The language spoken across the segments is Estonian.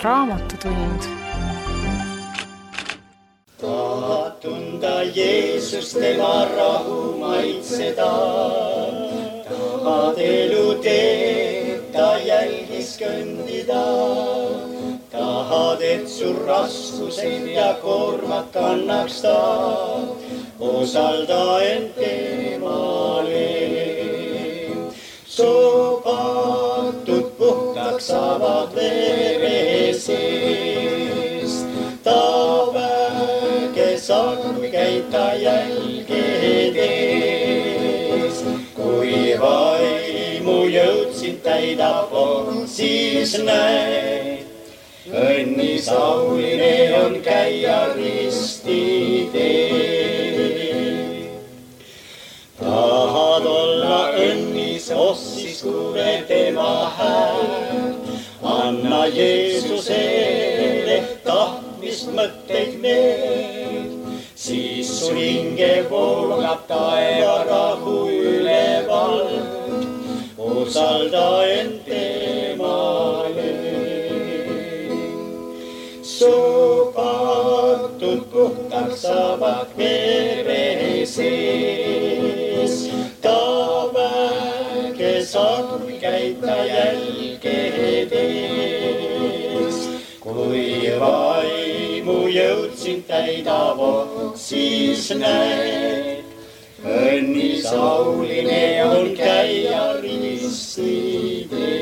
Raamatutund. Tahad tunda Jeesus tema rahu maitseda, tahad elu teed ta jälgis kõndida, tahad, et su raskused ja koormad kannaks ta, osalda end temale. Su patud puhtaks saavad vere seest, ta väge saad, kui käid ta jälgedes. Kui vaimu jõud sind täidab, siis näed, õnnis auline on käia risti teel. Tahad olla õnnis, siis kuule tema hääl. Anna Jeesusele tahtmist mõtteid need, siis su hinge voolab taeva rahu ülevalt, osalda end temale. Su patud puhtaks saavad vere sees, ta väge saad, kui käid ta jälgedes. Kui vaimu jõud sind täidab, siis näed, õnnis auline on käia risti teel.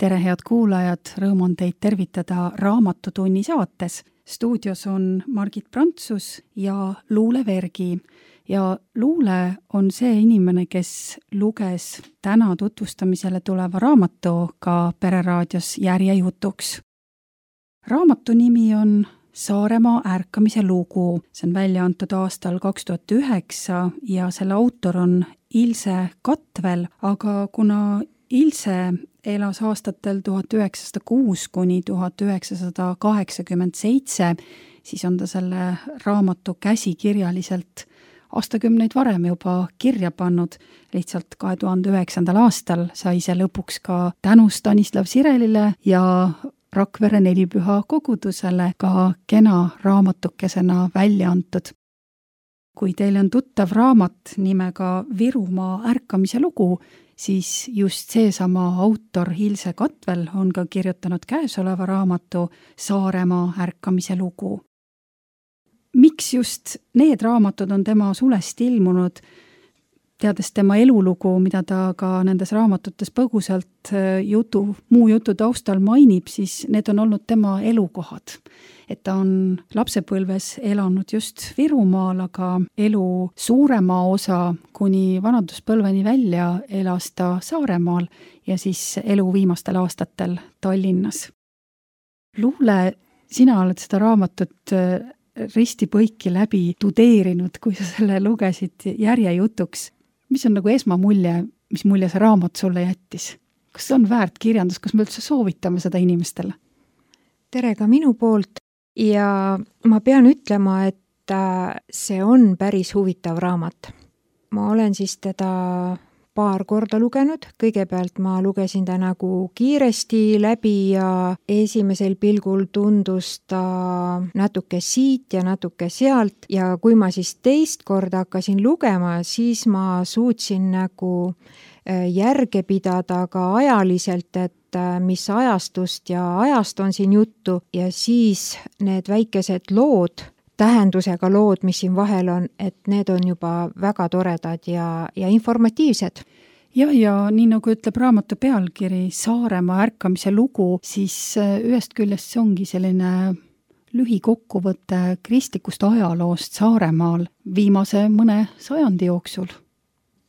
Tere, head kuulajad, rõõm on teid tervitada Raamatutunni saates. Stuudios on Margit Prantsus ja Luule Vergi. Ja Luule on see inimene, kes luges täna tutvustamisele tuleva raamatu ka Pereraadios järjejutuks. Raamatu nimi on Saaremaa ärkamise lugu. See on välja antud aastal 2009 ja selle autor on Ilse Katvel, aga kuna Ilse elas aastatel 1906 kuni 1987, siis on ta selle raamatu käsikirjaliselt aastakümneid varem juba kirja pannud. Lihtsalt 2009. aastal sai see lõpuks ka tänu Stanislav Sirelile ja Rakvere Nelipüha kogudusele ka kena raamatukesena välja antud. Kui teil on tuttav raamat nimega Virumaa ärkamise lugu, siis just seesama autor Ilse Katvel on ka kirjutanud käesoleva raamatu Saaremaa ärkamise lugu. Miks just need raamatud on tema sulest ilmunud, teades tema elulugu, mida ta ka nendes raamatutes põgusalt muu jutu taustal mainib, siis need on olnud tema elukohad. Et ta on lapsepõlves elanud just Virumaal, aga elu suurema osa kuni vanaduspõlveni välja elas ta Saaremaal ja siis elu viimastel aastatel Tallinnas. Luule, sina oled seda raamatut risti-põiki läbi tudeerinud, kui sa selle lugesid järjejutuks. Mis on nagu esmamulje, mis mulje see raamat sulle jättis? Kas see on väärt kirjandus, kas me üldse soovitame seda inimestele? Tere ka minu poolt ja ma pean ütlema, et see on päris huvitav raamat. Ma olen siis teda paar korda lugenud. Kõigepealt ma lugesin ta nagu kiiresti läbi ja esimesel pilgul tundus ta natuke siit ja natuke sealt ja kui ma siis teist korda hakkasin lugema, siis ma suutsin nagu järge pidada ka ajaliselt, et mis ajastust ja ajast on siin juttu ja siis need väikesed lood, tähendusega lood, mis siin vahel on, et need on juba väga toredad ja informatiivsed. Ja nii nagu ütleb raamatu pealkiri Saaremaa ärkamise lugu, siis ühest küljest see ongi selline lühikokkuvõte kristlikust ajaloost Saaremaal viimase mõne sajandi jooksul.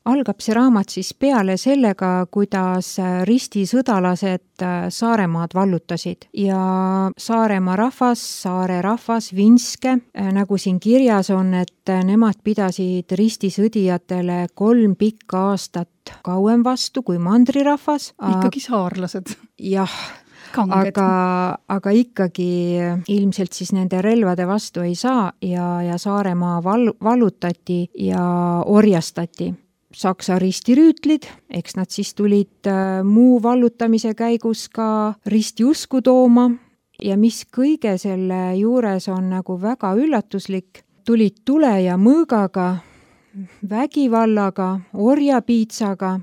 Algab see raamat siis peale sellega, kuidas ristisõdalased Saaremaad vallutasid ja Saaremaa rahvas, saare rahvas, vinske, nagu siin kirjas on, et nemad pidasid ristisõdijatele 3 pikka aastat kauem vastu kui mandrirahvas. Ikkagi saarlased. Jah, aga ikkagi ilmselt siis nende relvade vastu ei saa ja Saaremaa vallutati ja orjastati. Saksa ristirüütlid, eks nad siis tulid muu vallutamise käigus ka ristiusku tooma ja mis kõige selle juures on nagu väga üllatuslik, tulid tule ja mõõgaga, vägivallaga, orjapiitsaga,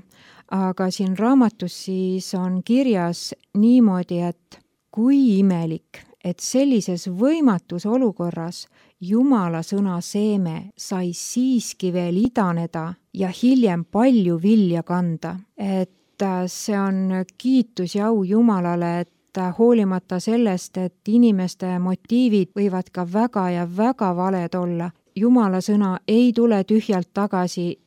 aga siin raamatus siis on kirjas niimoodi, et kui imelik, et sellises võimatus olukorras Jumala sõna seeme sai siiski veel idaneda ja hiljem palju vilja kanda. Et see on kiitus ja au Jumalale, et hoolimata sellest, et inimeste motiivid võivad ka väga ja väga valed olla, Jumala sõna ei tule tühjalt tagasi.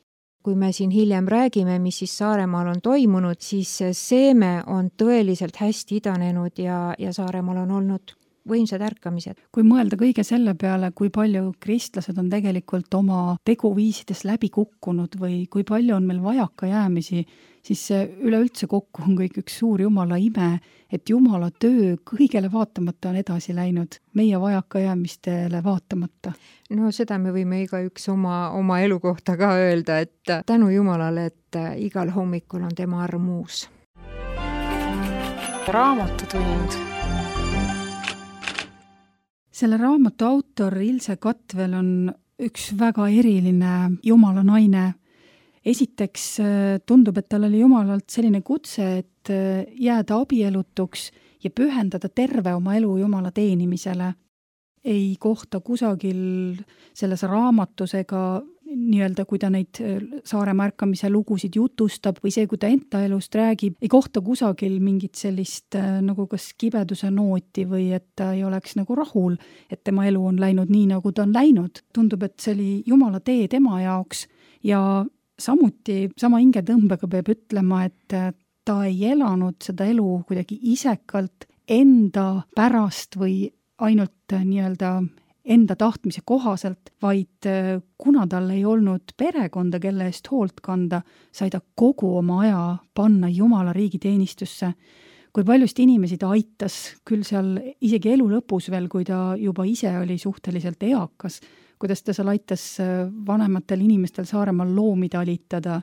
Kui me siin hiljem räägime, mis siis Saaremaal on toimunud, siis see seeme on tõeliselt hästi idanenud ja Saaremaal on olnud võimsad ärkamised. Kui mõelda kõige selle peale, kui palju kristlased on tegelikult oma teguviisides läbi kukkunud või kui palju on meil vajakajäämisi, siis see üleüldse kokku on kõik üks suur Jumala ime, et Jumala töö kõigele vaatamata on edasi läinud, meie vajakajäämistele vaatamata. No seda me võime igaüks oma elu kohta ka öelda, et tänu Jumalale, et igal hommikul on tema arm uus. Raamatutund. Selle raamatu autor Ilse Katvel on üks väga eriline Jumala naine. Esiteks tundub, et tal oli Jumalalt selline kutse, et jääda abielutuks ja pühendada terve oma elu Jumala teenimisele. Ei kohta kusagil selles raamatus ega nii-öelda, kui ta neid Saaremaa ärkamise lugusid jutustab või see, kui ta enda elust räägib, ei kohta kusagil mingit sellist nagu kas kibeduse nooti või et ta ei oleks nagu rahul, et tema elu on läinud nii, nagu ta on läinud. Tundub, et see oli Jumala tee tema jaoks ja samuti sama hingetõmbega peab ütlema, et ta ei elanud seda elu kuidagi isekalt enda pärast või ainult nii-öelda enda tahtmise kohaselt, vaid kuna tal ei olnud perekonda, kelle eest hoolt kanda, sai ta kogu oma aja panna Jumala riigi teenistusse. Kui paljust inimesi ta aitas, küll seal isegi elu lõpus veel, kui ta juba ise oli suhteliselt eakas, kuidas ta seal aitas vanematel inimestel Saaremaal loomi talitada,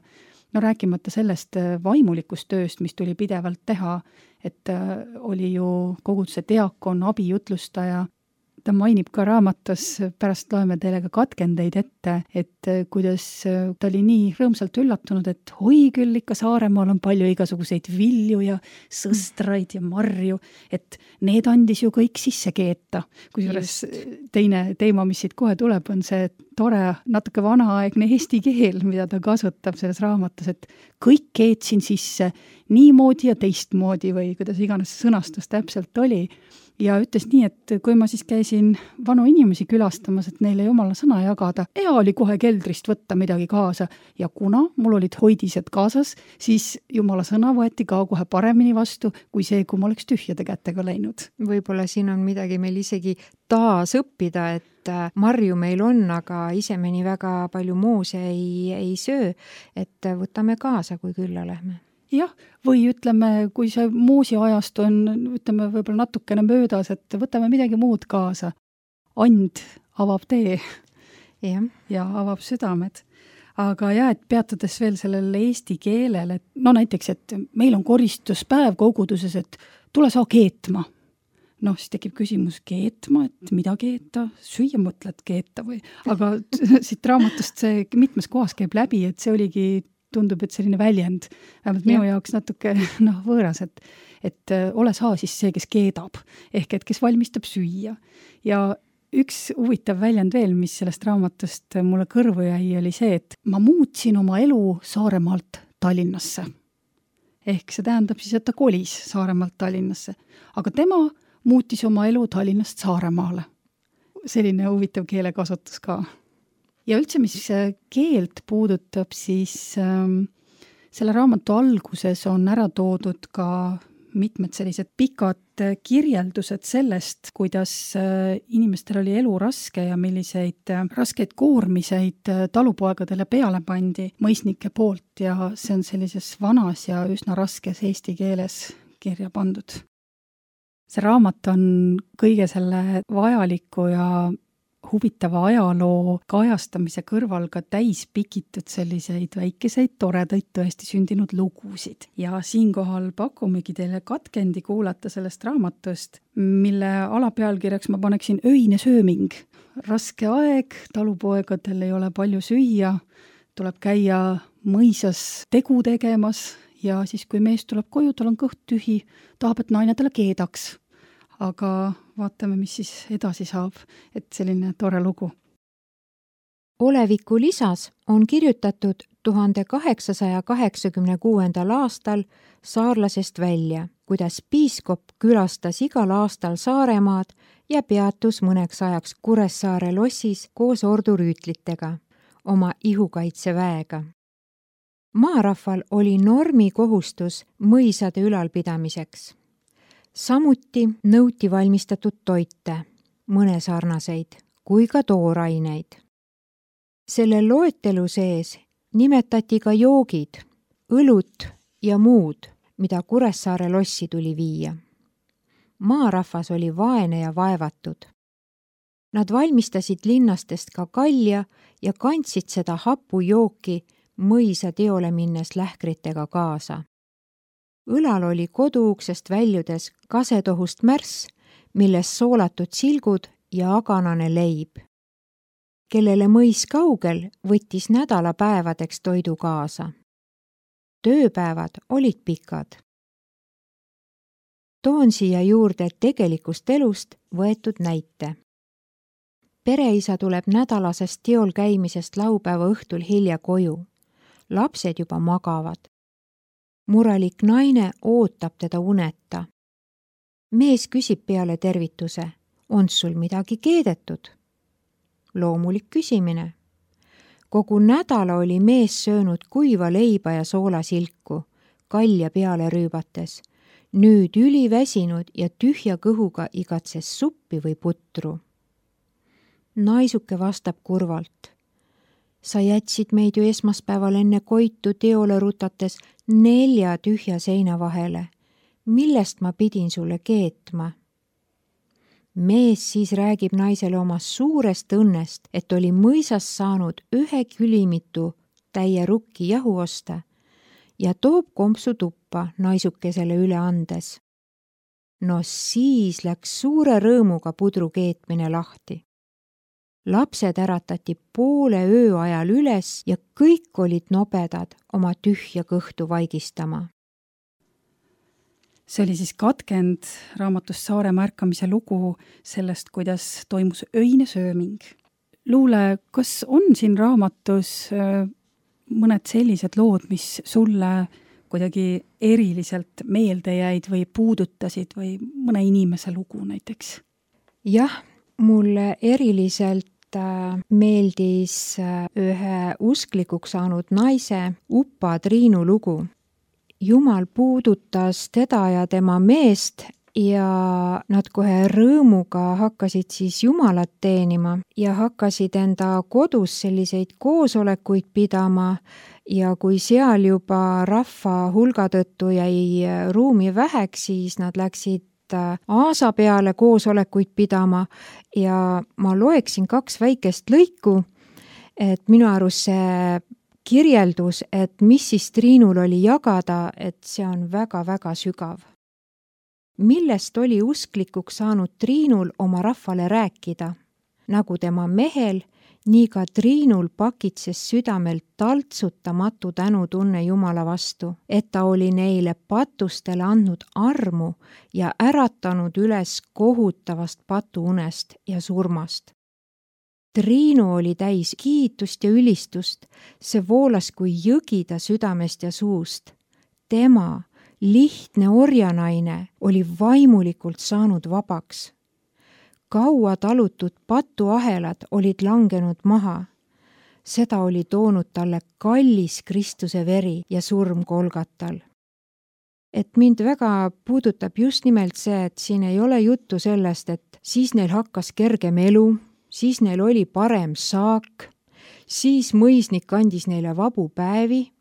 no rääkimata sellest vaimulikust tööst, mis tuli pidevalt teha, et oli ju koguduse diakon, abijutlustaja. Ta mainib ka raamatus, pärast loeme teile ka katkendeid ette, et kuidas ta oli nii rõõmsalt üllatunud, et oi küll ikka Saaremaal on palju igasuguseid vilju ja sõstraid ja marju, et need andis ju kõik sisse keeta. Kusjuures teine teema, mis siit kohe tuleb, on see tore, natuke vanaaegne eesti keel, mida ta kasutab selles raamatus, et kõik keetsin sisse niimoodi ja teistmoodi või kuidas iganes sõnastus täpselt oli. Ja ütles nii, et kui ma siis käisin vanu inimesi külastamas, et neile Jumala sõna jagada, hea oli kohe keldrist võtta midagi kaasa ja kuna mul olid hoidised kaasas, siis Jumala sõna võeti ka kohe paremini vastu kui see, kui ma oleks tühjade kätega läinud. Võib-olla siin on midagi meil isegi taas õppida, et marju meil on, aga ise me nii väga palju moose ei söö, et võtame kaasa, kui külla lähme. Jah, või ütleme, kui see moosi ajast on, ütleme võib-olla natukene möödas, et võtame midagi muud kaasa. And avab tee ja avab südamed. Aga jah, et peatudes veel sellele eesti keelel, et no näiteks, et meil on koristuspäev koguduses, et tule saa keetma. No, siis tekib küsimus keetma, et mida keeta, süüa mõtled keeta või, aga siit raamatust see mitmes kohas käib läbi, et see oligi tundub, et selline väljend, vähemalt minu jaoks natuke võõras, et ole saa siis see, kes keedab, ehk et kes valmistab süüa. Ja üks huvitav väljend veel, mis sellest raamatust mulle kõrvu jäi, oli see, et ma muutsin oma elu Saaremaalt Tallinnasse. Ehk see tähendab siis, et ta kolis Saaremaalt Tallinnasse, aga tema muutis oma elu Tallinnast Saaremaale. Selline huvitav keelekasutus ka. Ja üldse, mis keelt puudutab, siis selle raamatu alguses on ära toodud ka mitmed sellised pikad kirjeldused sellest, kuidas inimestel oli elu raske ja milliseid raskeid koormiseid talupoegadele peale pandi mõisnike poolt ja see on sellises vanas ja üsna raskes eesti keeles kirja pandud. See raamat on kõige selle vajaliku ja huvitava ajaloo kajastamise kõrval ka täis pikitud selliseid väikeseid toredaid tõesti sündinud lugusid. Ja siinkohal pakumegi teile katkendi kuulata sellest raamatust, mille alapealkirjaks ma paneksin Öine sööming. Raske aeg, talupoegadel ei ole palju süüa, tuleb käia mõisas tegu tegemas ja siis, kui mees tuleb koju, tal on kõht tühi, tahab, et naine talle keedaks. Aga vaatame, mis siis edasi saab, et selline tore lugu. Oleviku lisas on kirjutatud 1886. aastal saarlasest välja, kuidas piiskop külastas igal aastal Saaremaad ja peatus mõneks ajaks Kuressaare lossis koos ordurüütlitega, oma ihukaitseväega. Maarahval oli normikohustus mõisade ülalpidamiseks. Samuti nõuti valmistatud toite, mõnesarnaseid kui ka tooraineid. Selle loetelu sees nimetati ka joogid, õlut ja muud, mida Kuressaare lossi tuli viia. Maarahvas oli vaene ja vaevatud. Nad valmistasid linnastest ka kalja ja kandsid seda hapujooki mõisa teole minnes lähkritega kaasa. Õlal oli koduuksest väljudes kasetohust märss, milles soolatud silgud ja aganane leib. Kellele mõis kaugel, võttis nädalapäevadeks toidu kaasa. Tööpäevad olid pikad. Toon siia juurde tegelikust elust võetud näite. Pereisa tuleb nädalasest teol käimisest laupäeva õhtul hilja koju. Lapsed juba magavad. Murelik naine ootab teda uneta. Mees küsib peale tervituse, on sul midagi keedetud? Loomulik küsimine. Kogu nädala oli mees söönud kuiva leiba ja soolasilku, kalja peale rüübates. Nüüd üliväsinud ja tühja kõhuga igatses suppi või putru. Naisuke vastab kurvalt. Sa jätsid meid ju esmaspäeval enne koitu teole rutates 4 tühja seina vahele. Millest ma pidin sulle keetma? Mees siis räägib naisele oma suurest õnnest, et oli mõisas saanud 1 külimitu täie rukki jahu osta ja toob kompsu tuppa naisukesele üle andes. No siis läks suure rõõmuga pudru keetmine lahti. Lapsed äratati poole öö ajal üles ja kõik olid nobedad oma tühja kõhtu vaigistama. See oli siis katkend raamatust Saaremaa ärkamise lugu sellest, kuidas toimus öine sööming. Luule, kas on siin raamatus mõned sellised lood, mis sulle kuidagi eriliselt meelde jäid või puudutasid või mõne inimese lugu näiteks? Jah, mulle eriliselt meeldis ühe usklikuks saanud naise Upa Triinu lugu. Jumal puudutas teda ja tema meest ja nad kohe rõõmuga hakkasid siis Jumalat teenima ja hakkasid enda kodus selliseid koosolekuid pidama ja kui seal juba rahva hulga tõttu jäi ruumi väheks, siis nad läksid aasa peale koosolekuid pidama ja ma loeksin 2 väikest lõiku, et minu arust see kirjeldus, et mis siis Triinul oli jagada, et see on väga-väga sügav. Millest oli usklikuks saanud Triinul oma rahvale rääkida? Nagu tema mehel, nii ka Triinul pakitses südamelt taltsutamatu tänutunne Jumala vastu, et ta oli neile patustele andnud armu ja äratanud üles kohutavast patuunest ja surmast. Triinu oli täis kiitust ja ülistust, see voolas kui jõgi ta südamest ja suust. Tema, lihtne orjanaine, oli vaimulikult saanud vabaks. Kaua talutud patuahelad olid langenud maha. Seda oli toonud talle kallis Kristuse veri ja surm Golgatal. Et mind väga puudutab just nimelt see, et siin ei ole juttu sellest, et siis neil hakkas kergem elu, siis neil oli parem saak, siis mõisnik andis neile vabu päevi,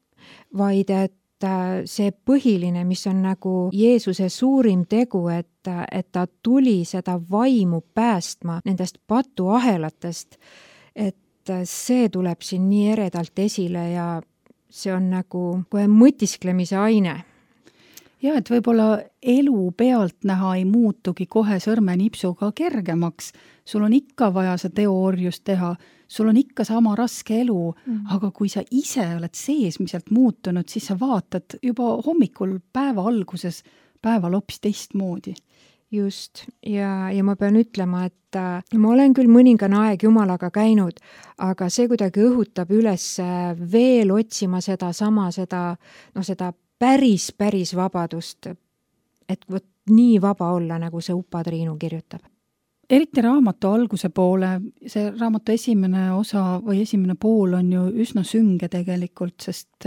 vaid et see põhiline, mis on nagu Jeesuse suurim tegu, et ta tuli seda vaimu päästma nendest patuahelatest, et see tuleb siin nii eredalt esile ja see on nagu kohe mõtisklemise aine. Ja, et võib-olla elu pealt näha ei muutugi kohe sõrmenipsuga kergemaks. Sul on ikka vaja see teoorjust teha, sul on ikka sama raske elu, aga kui sa ise oled seesmiselt muutunud, siis sa vaatad juba hommikul päeva alguses päeval hoopis teistmoodi. Just, ja ma pean ütlema, et ma olen küll mõningane aeg Jumalaga käinud, aga see kuidagi õhutab üles veel otsima seda päris vabadust, et võt nii vaba olla, nagu see Upa Triinu kirjutab. Eriti raamatu alguse poole, see raamatu esimene osa või esimene pool on ju üsna sünge tegelikult, sest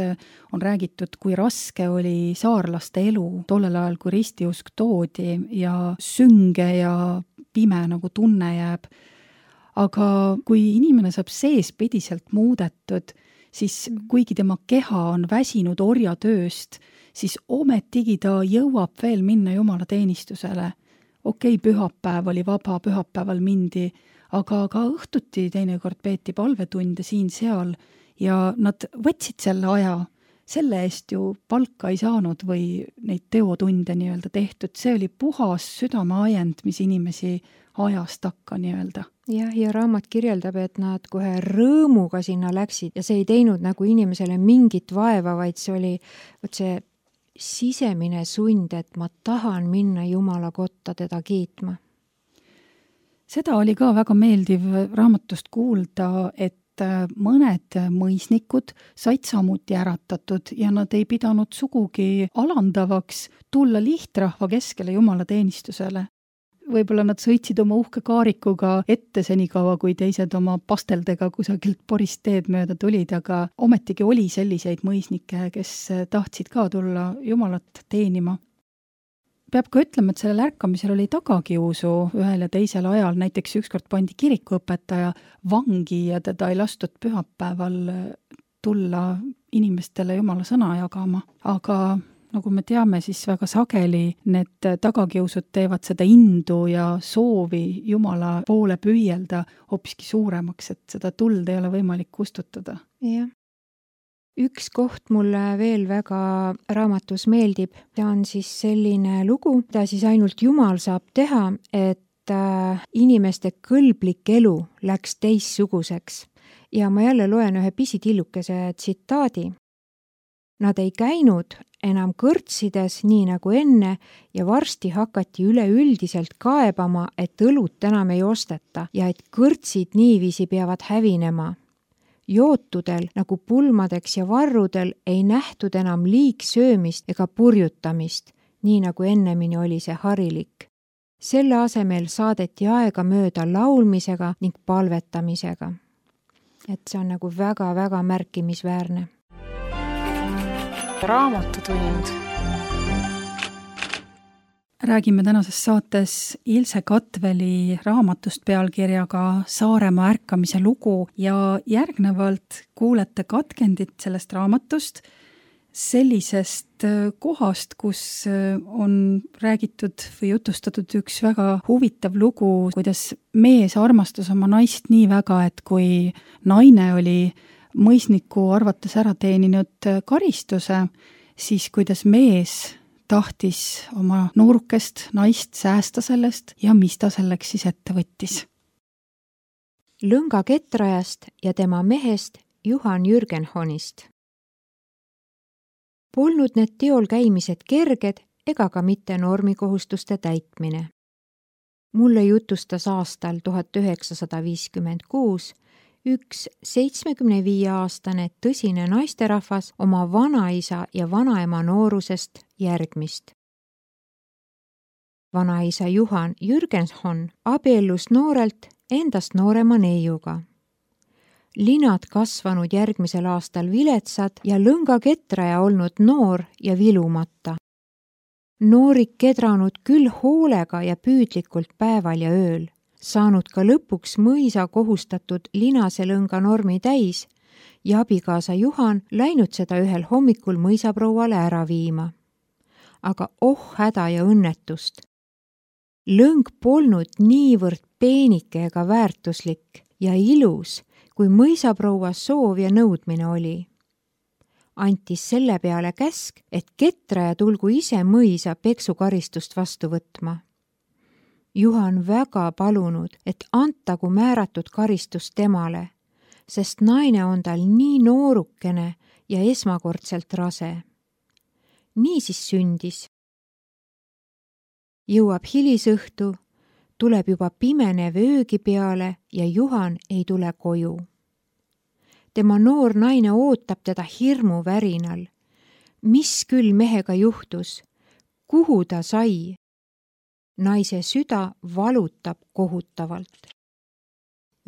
on räägitud, kui raske oli saarlaste elu tollel ajal, kui ristiusk toodi ja sünge ja pime nagu tunne jääb. Aga kui inimene saab seespidiselt muudetud, siis kuigi tema keha on väsinud orjatööst, siis ometigi ta jõuab veel minna Jumala teenistusele. Okei, pühapäev oli vaba, pühapäeval mindi, aga ka õhtuti teinekord peeti palvetunde siin-seal ja nad võtsid selle aja. Selle eest ju palka ei saanud või neid teotunde nii-öelda tehtud. See oli puhas südameajend, mis inimesi ajas takka nii-öelda. Ja raamat kirjeldab, et nad kohe rõõmuga sinna läksid ja see ei teinud nagu inimesele mingit vaeva, vaid see oli see sisemine sund, et ma tahan minna Jumala kotta teda kiitma. Seda oli ka väga meeldiv raamatust kuulda, et mõned mõisnikud said samuti äratatud ja nad ei pidanud sugugi alandavaks tulla lihtrahva keskele Jumala teenistusele. Võib-olla nad sõitsid oma uhke kaarikuga ette senikaua, kui teised oma pasteldega kusagilt porist teed mööda tulid, aga ometigi oli selliseid mõisnikke, kes tahtsid ka tulla Jumalat teenima. Peab ka ütlema, et sellel ärkamisel oli tagakiusu ühel ja teisel ajal, näiteks ükskord pandi kirikuõpetaja vangi ja teda ei lastud pühapäeval tulla inimestele Jumala sõna jagama, aga nagu me teame, siis väga sageli need tagakiusud teevad seda indu ja soovi Jumala poole püüelda hoopiski suuremaks, et seda tuld ei ole võimalik kustutada. Jah. Üks koht mulle veel väga raamatus meeldib, ta on siis selline lugu, mida siis ainult Jumal saab teha, et inimeste kõlblik elu läks teissuguseks. Ja ma jälle loen ühe pisitillukese tsitaadi. Nad ei käinud enam kõrtsides nii nagu enne ja varsti hakati üleüldiselt kaebama, et õlut enam ei osteta ja et kõrtsid niiviisi peavad hävinema. Jootudel nagu pulmadeks ja varrudel ei nähtud enam liigsöömist ega purjutamist, nii nagu ennemini oli see harilik. Selle asemel saadeti aega mööda laulmisega ning palvetamisega. Et see on nagu väga-väga märkimisväärne. Raamatutund. Räägime tänases saates Ilse Katveli raamatust pealkirjaga Saaremaa ärkamise lugu ja järgnevalt kuulete katkendit sellest raamatust sellisest kohast, kus on räägitud või jutustatud üks väga huvitav lugu, kuidas mees armastas oma naist nii väga, et kui naine oli mõisniku arvates ära teeninud karistuse, siis kuidas mees tahtis oma noorukest naist säästa sellest ja mis ta selleks siis ette võttis. Lõnga Ketrajast ja tema mehest Juhan Jürgenhonist. Polnud need teol käimised kerged ega ka mitte normikohustuste täitmine. Mulle jutustas aastal 1956 üks 75-aastane tõsine naisterahvas oma vanaisa ja vanaema noorusest järgmist. Vanaisa Juhan Jürgenhon abiellus noorelt endast noorema neiuga. Linad kasvanud järgmisel aastal viletsad ja Lõnga Ketraja olnud noor ja vilumata. Noorik kedranud küll hoolega ja püüdlikult päeval ja ööl, saanud ka lõpuks mõisa kohustatud linase lõnga normi täis, ja abikaasa Juhan läinud seda ühel hommikul mõisaprouale ära viima. Aga häda ja õnnetust. Lõng polnud niivõrd peenike ega väärtuslik ja ilus, kui mõisaproua soov ja nõudmine oli. Antis selle peale käsk, et ketraja tulgu ise mõisa peksukaristust vastu võtma. Juhan väga palunud, et antagu määratud karistus temale, sest naine on tal nii noorukene ja esmakordselt rase. Nii siis sündis. Jõuab hilisõhtu, tuleb juba pimenev öögi peale ja Juhan ei tule koju. Tema noor naine ootab teda hirmu värinal. Mis küll mehega juhtus? Kuhu ta sai? Naise süda valutab kohutavalt.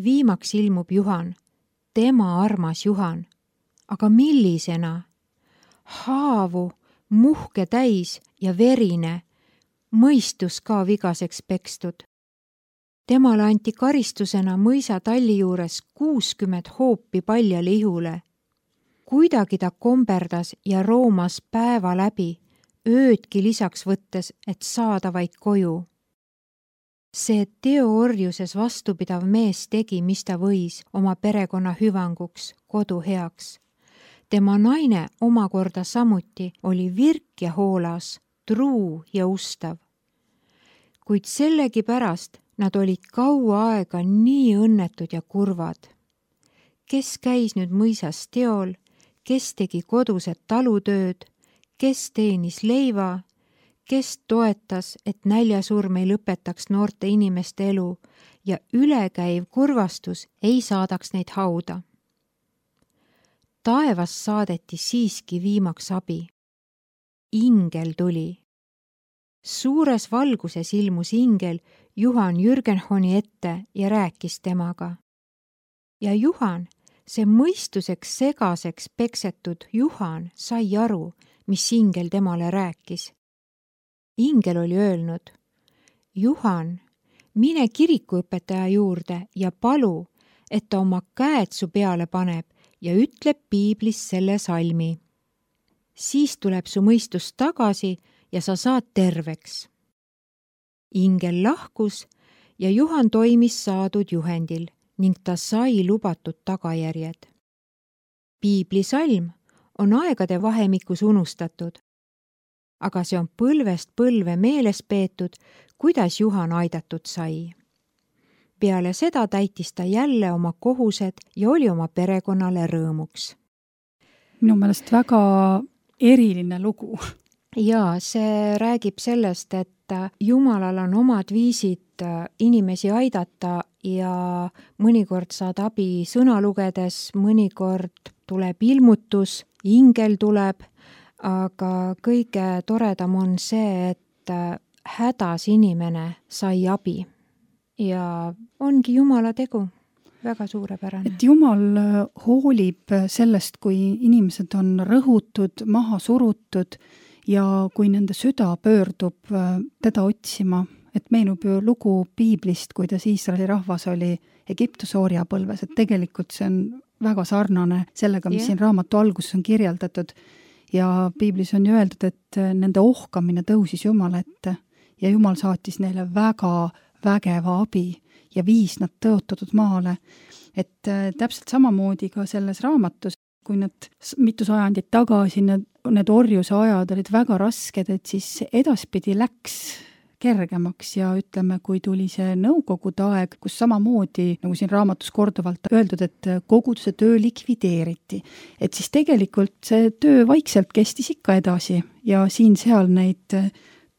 Viimaks ilmub Juhan, tema armas Juhan. Aga millisena? Haavu, muhke täis ja verine, mõistus ka vigaseks pekstud. Temale anti karistusena mõisa talli juures 60 hoopi paljale ihule. Kuidagi ta komberdas ja roomas päeva läbi, öödki lisaks võttes, et saada vaid koju. See teoorjuses vastupidav mees tegi, mis ta võis oma perekonna hüvanguks, kodu heaks. Tema naine omakorda samuti oli virk ja hoolas, truu ja ustav. Kuid sellegipärast nad olid kaua aega nii õnnetud ja kurvad. Kes käis nüüd mõisas teol, kes tegi kodused talutööd, kes teenis leiva, kes toetas, et näljasurm ei lõpetaks noorte inimeste elu ja ülekäiv kurvastus ei saadaks neid hauda. Taevas saadeti siiski viimaks abi. Ingel tuli. Suures valguses ilmus ingel Juhan Jürgenhoni ette ja rääkis temaga. Ja Juhan, see mõistuseks segaseks peksetud Juhan, sai aru, mis ingel temale rääkis. Ingel oli öelnud, Juhan, mine kirikuõpetaja juurde ja palu, et ta oma käed su peale paneb ja ütleb piiblis selle salmi. Siis tuleb su mõistus tagasi ja sa saad terveks. Ingel lahkus ja Juhan toimis saadud juhendil ning ta sai lubatud tagajärjed. Piiblisalm on aegade vahemikus unustatud, aga see on põlvest põlve meeles peetud, kuidas Juhan aidatud sai. Peale seda täitis ta jälle oma kohused ja oli oma perekonnale rõõmuks. Minu meelest väga eriline lugu. Ja see räägib sellest, et Jumalal on omad viisid inimesi aidata ja mõnikord saad abi sõna lugedes, mõnikord tuleb ilmutus, ingel tuleb, aga kõige toredam on see, et hädas inimene sai abi ja ongi Jumala tegu. Väga suurepärane. Et Jumal hoolib sellest, kui inimesed on rõhutud, maha surutud ja kui nende süda pöördub teda otsima, et meenub ju lugu piiblist, kuidas Iisraeli rahvas oli Egiptuse orjapõlves, et tegelikult see on väga sarnane sellega, mis siin raamatu alguses on kirjeldatud ja piiblis on ju öeldud, et nende ohkamine tõusis Jumala ette ja Jumal saatis neile väga vägeva abi ja viis nad tõotatud maale. Et täpselt samamoodi ka selles raamatus, kui need mitu sajandit tagasi need orjuse ajad olid väga rasked, et siis edaspidi läks kergemaks ja ütleme, kui tuli see nõukogude aeg, kus samamoodi, nagu siin raamatus korduvalt öeldud, et koguduse töö likvideeriti. Et siis tegelikult see töö vaikselt kestis ikka edasi ja siin-seal neid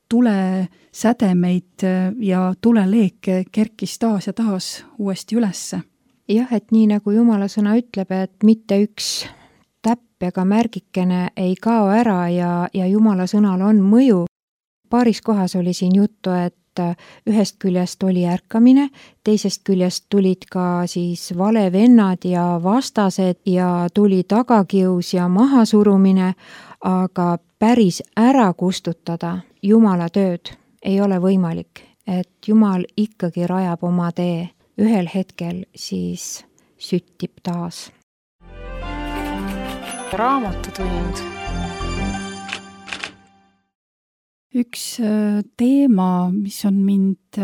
tulesädemeid ja tuleleeke kerkis taas ja taas uuesti ülesse. Jah, et nii nagu Jumala sõna ütleb, et mitte üks täpp ega märgikene ei kao ära ja Jumala sõnal on mõju. Paaris kohas oli siin juttu, et ühest küljest oli ärkamine, teisest küljest tulid ka siis valevennad ja vastased ja tuli tagakius ja mahasurumine, aga päris ära kustutada Jumala tööd ei ole võimalik, et Jumal ikkagi rajab oma tee. Ühel hetkel siis süttib taas. Raamatutund. Üks teema, mis on mind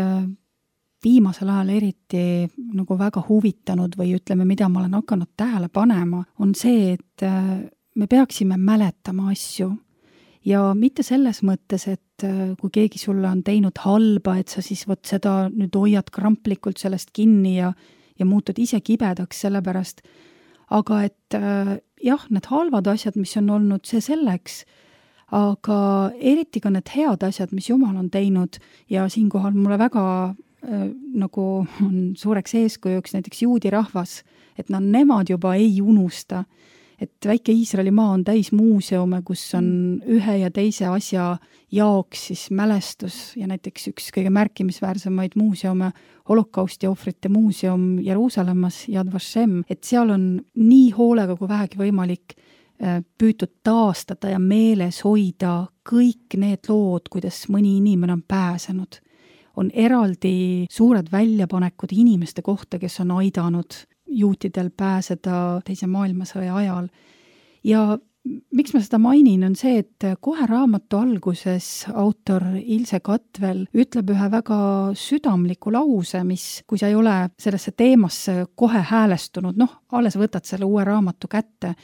viimasel ajal eriti nagu väga huvitanud või ütleme, mida ma olen hakanud tähele panema, on see, et me peaksime mäletama asju. Ja mitte selles mõttes, et kui keegi sulle on teinud halba, et sa siis võt seda nüüd hoiad kramplikult sellest kinni ja muutud ise kibedaks sellepärast, aga et jah, need halvad asjad, mis on olnud, see selleks, aga eriti ka need head asjad, mis Jumal on teinud ja siinkohal mulle väga nagu on suureks eeskujuks näiteks juudi rahvas, et nemad juba ei unusta, et väike Iisraeli maa on täis muuseume, kus on ühe ja teise asja jaoks siis mälestus ja näiteks üks kõige märkimisväärsemaid muuseume, holokausti ohvrite muuseum Jeruusalemmas, Yad Vashem, et seal on nii hoolega kui vähegi võimalik püütud taastada ja meeles hoida kõik need lood, kuidas mõni inimene on pääsenud. On eraldi suured väljapanekud inimeste kohta, kes on aidanud juutidel pääseda teise maailmasõja ajal. Ja miks ma seda mainin, on see, et kohe raamatu alguses autor Ilse Katvel ütleb ühe väga südamliku lause, mis, kui sa ei ole sellesse teemasse kohe häälestunud, alles võtad selle uue raamatu kätte,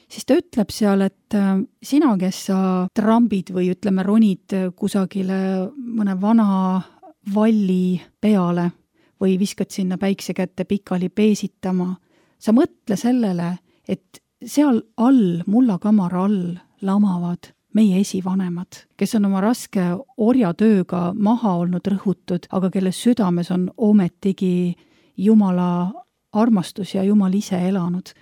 siis ta ütleb seal, et sina, kes sa trambid või ütleme ronid kusagile mõne vana valli peale või viskad sinna päikse kätte pikali peesitama, sa mõtle sellele, et seal all, mullakamara all lamavad meie esivanemad, kes on oma raske orjatööga maha olnud rõhutud, aga kelle südames on ometigi Jumala armastus ja Jumal ise elanud.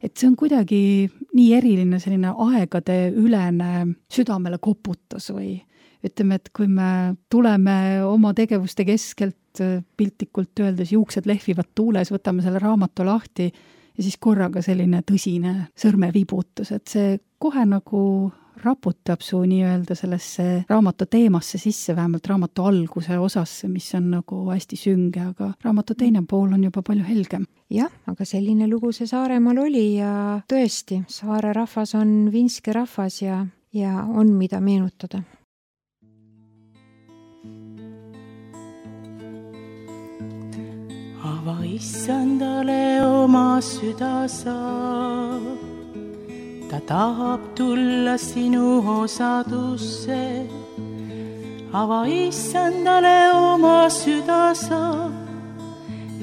Et see on kuidagi nii eriline selline aegade ülene südamele koputus või ütleme, et kui me tuleme oma tegevuste keskelt piltlikult öeldes juuksed lehvivad tuules, võtame selle raamatu lahti ja siis korraga selline tõsine sõrmevibutus, et see kohe nagu raputab su nii-öelda sellesse raamatu teemasse sisse, vähemalt raamatu alguse osasse, mis on nagu hästi sünge, aga raamatu teine pool on juba palju helgem. Jah, aga selline lugu see Saaremaal oli ja tõesti, saare rahvas on vinske rahvas ja on mida meenutada. Ava issandale oma süda sa, ta tahab tulla sinu osadusse. Ava issandale oma süda sa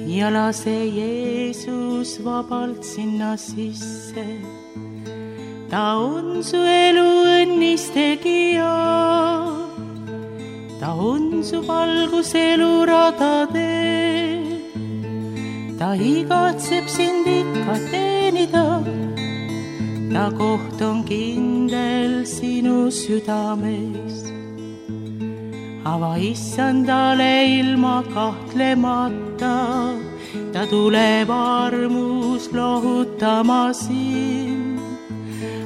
ja lase Jeesus vabalt sinna sisse. Ta on su elu õnnis tegija, ta on su valgus eluradadel. Ta igatseb sind ikka teenida, ta koht on kindel sinu südames. Ava issandale ilma kahtlemata, ta tuleb armus lohutama sind.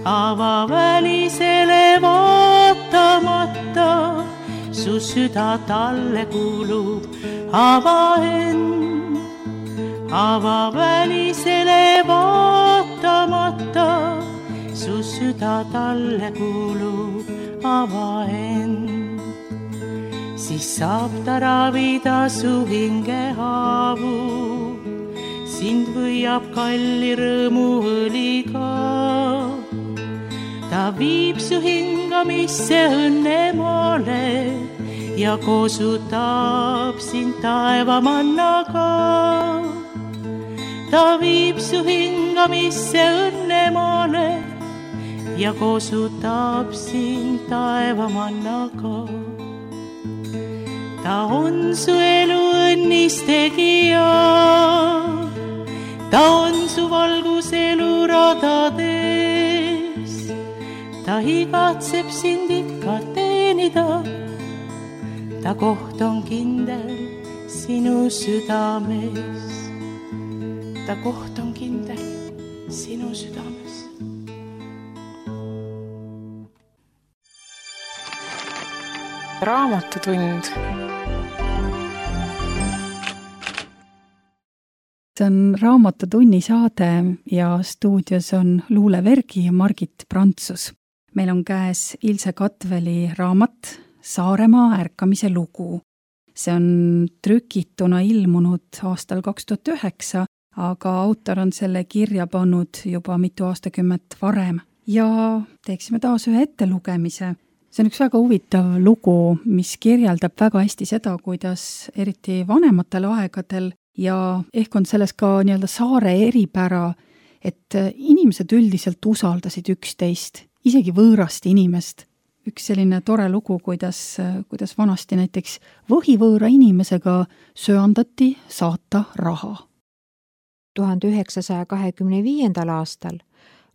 Ava välisele vaatamata, su süda talle kuulub, ava end. Ava välisele vaatamata, su süda talle kuulub, ava end. Siis saab ta ravida su hingehaavu, sind võiab kalli rõõmu õliga. Ta viib su hingamisse õnnemaale ja koosutab sind taevamannaga. Ta viib su hingamisse õnnemaale ja koosutab sind taevamannaga. Ta on su elu õnnis tegija, ta on su valgus eluradades. Ta igatseb sind ikka teenida, ta koht on kindel sinu südames. Ta koht on kindel sinu südames. Raamatutund. See on Raamatutunni saade ja stuudios on Luule Vergi ja Margit Prantsus. Meil on käes Ilse Katveli raamat Saaremaa ärkamise lugu. See on trükituna ilmunud aastal 2009, aga autor on selle kirja pannud juba mitu aastakümmet varem. Ja teeksime taas ühe ettelugemise. See on üks väga huvitav lugu, mis kirjeldab väga hästi seda, kuidas eriti vanematel aegadel ja ehk on selles ka nii-öelda saare eripära, et inimesed üldiselt usaldasid üksteist, isegi võõrast inimest. Üks selline tore lugu, kuidas vanasti näiteks võhivõõra inimesega söandati saata raha. 1925. aastal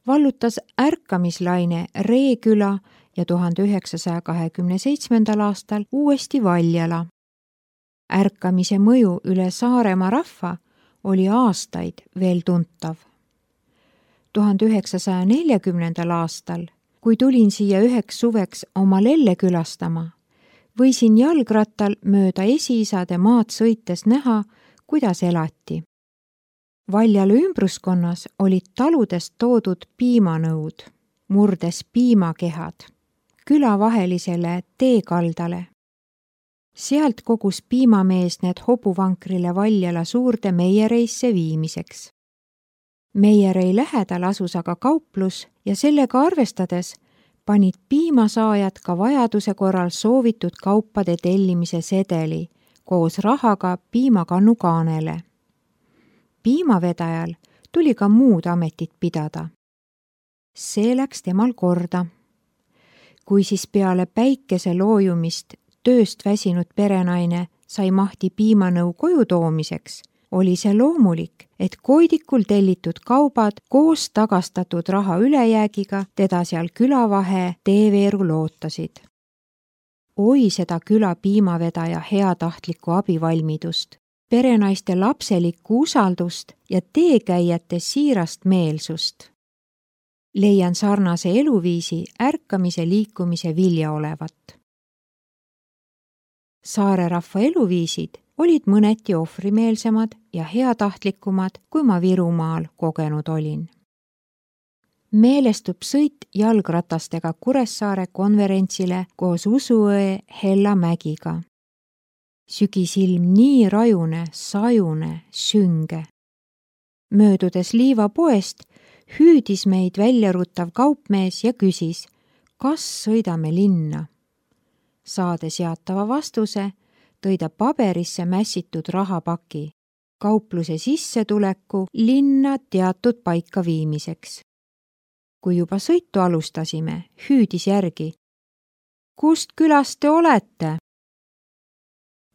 vallutas ärkamislaine Reeküla ja 1927. aastal uuesti Valjala. Ärkamise mõju üle Saaremaa rahva oli aastaid veel tuntav. 1940. aastal, kui tulin siia üheks suveks oma lelle külastama, võisin jalgrattal mööda esiisade maad sõites näha, kuidas elati. Valjala ümbruskonnas olid taludest toodud piimanõud, murdes piimakehad, külavahelisele teekaldale. Sealt kogus piimamees need hobuvankrile Valjala suurde meiereisse viimiseks. Meierei lähedal asus aga kauplus ja sellega arvestades panid piimasaajad ka vajaduse korral soovitud kaupade tellimise sedeli koos rahaga piimakannu kaanele. Piimavedajal tuli ka muud ametit pidada. See läks temal korda. Kui siis peale päikese loojumist tööst väsinud perenaine sai mahti piimanõu koju toomiseks, oli see loomulik, et koidikul tellitud kaubad koos tagastatud raha ülejäägiga teda seal külavahe teeveeru lootasid. Oi seda küla piimavedaja heatahtlikku abivalmidust, perenaiste lapselikku usaldust ja teekäijate siirast meelsust. Leian sarnase eluviisi ärkamise liikumise vilja olevat. Saare rahva eluviisid olid mõneti ohvrimeelsemad ja heatahtlikumad, kui ma Virumaal kogenud olin. Meelestub sõit jalgratastega Kuressaare konverentsile koos Usuõe Hella Mägiga. Sügisilm nii rajune, sajune, sünge. Möödudes liivapoest hüüdis meid väljaruttav kaupmees ja küsis, kas sõidame linna. Saades jaatava vastuse, tõi ta paberisse mässitud rahapaki, kaupluse sissetuleku linna teatud paika viimiseks. Kui juba sõitu alustasime, hüüdis järgi. Kust külast te olete?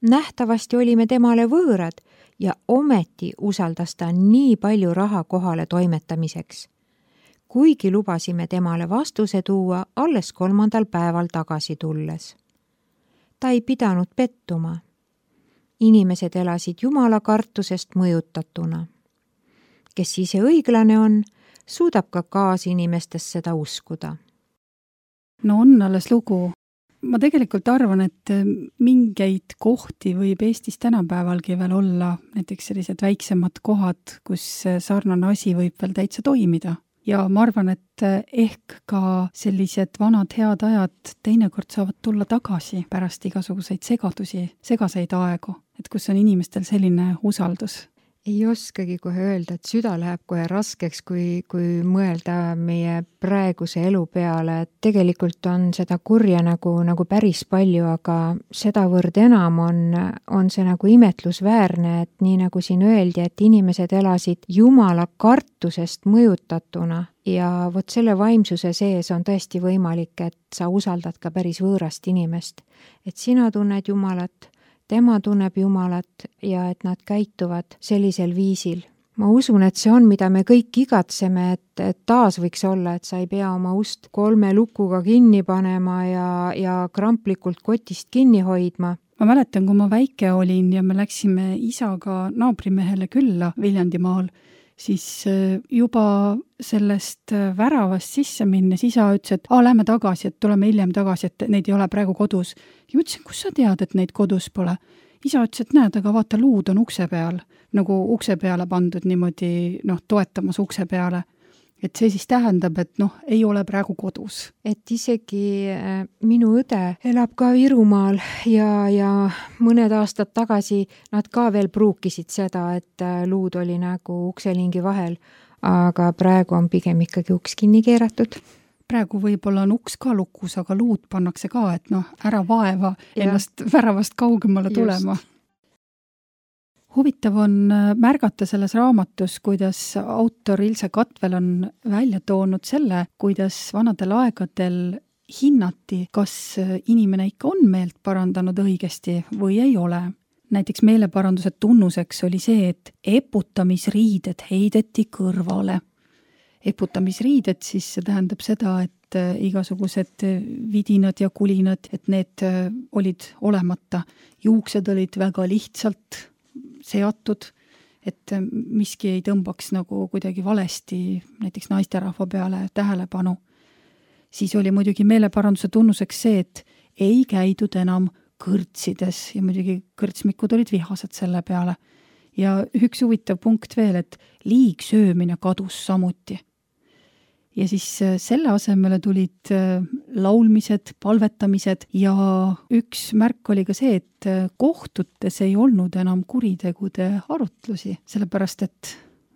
Nähtavasti olime temale võõrad ja ometi usaldas ta nii palju raha kohale toimetamiseks. Kuigi lubasime temale vastuse tuua alles 3. päeval tagasi tulles. Ta ei pidanud pettuma. Inimesed elasid Jumala kartusest mõjutatuna. Kes ise õiglane on, suudab ka kaasinimestes seda uskuda. No on alles lugu. Ma tegelikult arvan, et mingeid kohti võib Eestis tänapäevalgi veel olla, näiteks sellised väiksemad kohad, kus sarnane asi võib veel täitsa toimida. Ja ma arvan, et ehk ka sellised vanad head ajad teinekord saavad tulla tagasi pärast igasuguseid segaseid aegu, et kus on inimestel selline usaldus. Ei oskagi kohe öelda, et süda läheb kohe raskeks, kui mõelda meie praeguse elu peale, et tegelikult on seda kurja nagu päris palju, aga sedavõrd enam on see nagu imetlusväärne, et nii nagu siin öeldi, et inimesed elasid Jumala kartusest mõjutatuna ja vot selle vaimsuse sees on tõesti võimalik, et sa usaldad ka päris võõrast inimest, et sina tunned Jumalat, tema tunneb Jumalat ja et nad käituvad sellisel viisil. Ma usun, et see on, mida me kõik igatseme, et taas võiks olla, et sa ei pea oma ust 3 lukuga kinni panema ja kramplikult kotist kinni hoidma. Ma mäletan, kui ma väike olin ja me läksime isaga naabrimehele külla Viljandimaal, siis juba sellest väravast sisse minnes isa ütles, et lähme tagasi, et tuleme hiljem tagasi, et neid ei ole praegu kodus. Ja ma ütlesin, kus sa tead, et neid kodus pole? isa ütles, et näed, aga vaata, luud on ukse peal, nagu ukse peale pandud niimoodi, toetamas ukse peale. Et see siis tähendab, et ei ole praegu kodus. Et isegi minu õde elab ka Virumaal ja mõned aastad tagasi nad ka veel pruukisid seda, et luud oli nagu ukselingi vahel, aga praegu on pigem ikkagi uks kinni keeratud. Praegu võib-olla on uks ka lukus, aga luud pannakse ka, et ära vaeva ennast väravast kaugemale tulema. Huvitav on märgata selles raamatus, kuidas autor Ilse Katvel on välja toonud selle, kuidas vanadel aegadel hinnati, kas inimene ikka on meelt parandanud õigesti või ei ole. Näiteks meeleparanduse tunnuseks oli see, et eputamisriided heideti kõrvale. Eputamisriided siis see tähendab seda, et igasugused vidinad ja kulinad, et need olid olemata. Juuksed olid väga lihtsalt seatud, et miski ei tõmbaks nagu kuidagi valesti näiteks naisterahva peale tähelepanu. Siis oli muidugi meeleparanduse tunnuseks see, et ei käidud enam kõrtsides ja muidugi kõrtsmikud olid vihased selle peale. Ja üks huvitav punkt veel, et liigsöömine kadus samuti. Ja siis selle asemele tulid laulmised, palvetamised ja üks märk oli ka see, et kohtutes ei olnud enam kuritegude arutlusi, sellepärast et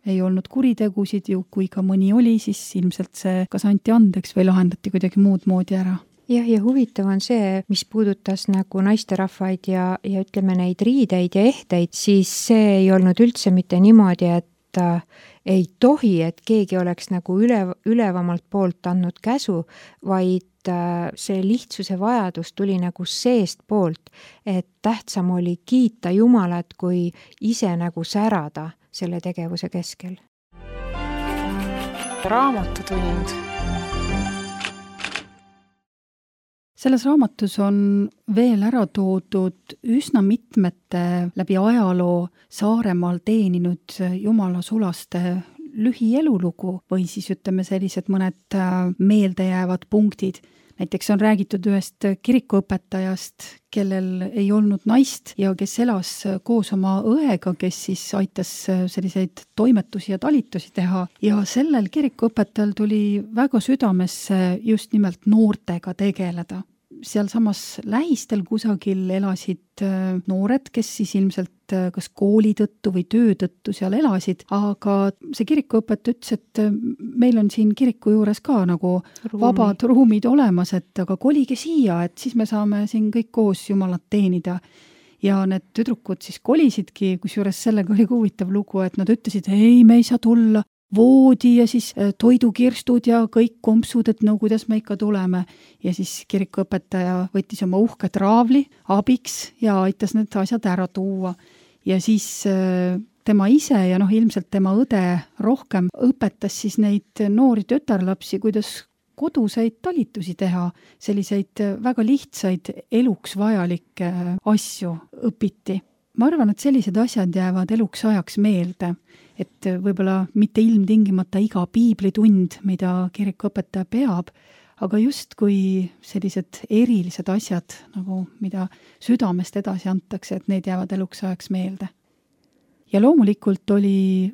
ei olnud kuritegusid ju, kui ka mõni oli, siis ilmselt see kas anti andeks või lahendati kuidagi muud moodi ära. Jah, ja huvitav on see, mis puudutas nagu naisterahvaid ja ütleme neid riideid ja ehteid, siis see ei olnud üldse mitte niimoodi, et ei tohi, et keegi oleks nagu ülevamalt poolt andnud käsu, vaid see lihtsuse vajadus tuli nagu seest poolt, et tähtsam oli kiita Jumalat, kui ise nagu särada selle tegevuse keskel. Raamatutund. Selles raamatus on veel ära toodud üsna mitmete läbi ajaloo Saaremaal teeninud Jumala sulaste lühielulugu või siis ütleme sellised mõned meeldejäävad punktid. Näiteks on räägitud ühest kirikuõpetajast, kellel ei olnud naist ja kes elas koos oma õega, kes siis aitas selliseid toimetusi ja talitusi teha. Ja sellel kirikuõpetajal tuli väga südamesse just nimelt noortega tegeleda. Seal samas lähistel kusagil elasid noored, kes siis ilmselt kas kooli tõttu või töö tõttu seal elasid, aga see kirikuõpetaja ütles, et meil on siin kiriku juures ka nagu vabad ruumid olemas, et aga kolige siia, et siis me saame siin kõik koos Jumalat teenida. Ja need tüdrukud siis kolisidki, kusjuures sellega oli huvitav lugu, et nad ütlesid, ei, me ei saa tulla, voodi ja siis toidukirstud ja kõik kompsud, et no kuidas me ikka tuleme. Ja siis kirikuõpetaja võttis oma uhke traavli abiks ja aitas need asjad ära tuua. Ja siis tema ise ja ilmselt tema õde rohkem õpetas siis neid noori tütarlapsi, kuidas koduseid talitusi teha, selliseid väga lihtsaid eluks vajalikke asju õpiti. Ma arvan, et sellised asjad jäävad eluks ajaks meelde, et võib-olla mitte ilmtingimata iga piiblitund, mida kirikuõpetaja peab, aga just kui sellised erilised asjad, nagu mida südamest edasi antakse, et need jäävad eluks ajaks meelde. Ja loomulikult oli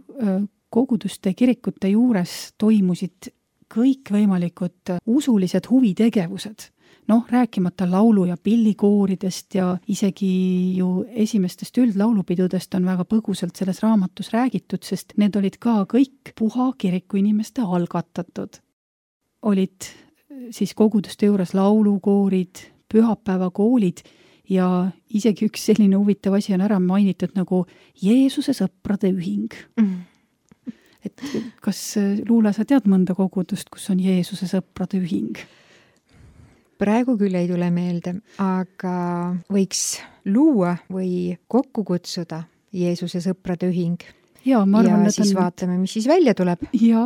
koguduste kirikute juures toimusid kõikvõimalikud usulised huvitegevused. Rääkimata laulu- ja pillikooridest ja isegi ju esimestest üldlaulupidudest on väga põgusalt selles raamatus räägitud, sest need olid ka kõik puha kiriku inimeste algatatud. Olid siis koguduste juures laulukoorid, pühapäevakoolid ja isegi üks selline huvitav asi on ära mainitud nagu Jeesuse sõprade ühing. Et kas Luula, sa tead mõnda kogudust, kus on Jeesuse sõprade ühing? Praegu küll ei tule meelde, aga võiks luua või kokku kutsuda Jeesuse sõprade ühing. Ja siis vaatame, mis siis välja tuleb. Ja,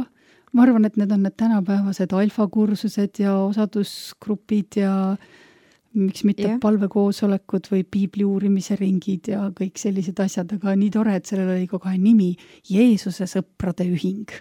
ma arvan, et need on need tänapäevased alfakursused ja osadusgrupid ja miks mitte palvekoosolekud või piibli uurimise ringid ja kõik sellised asjad, aga nii tore, et sellel oli kogu aeg nimi Jeesuse sõprade ühing.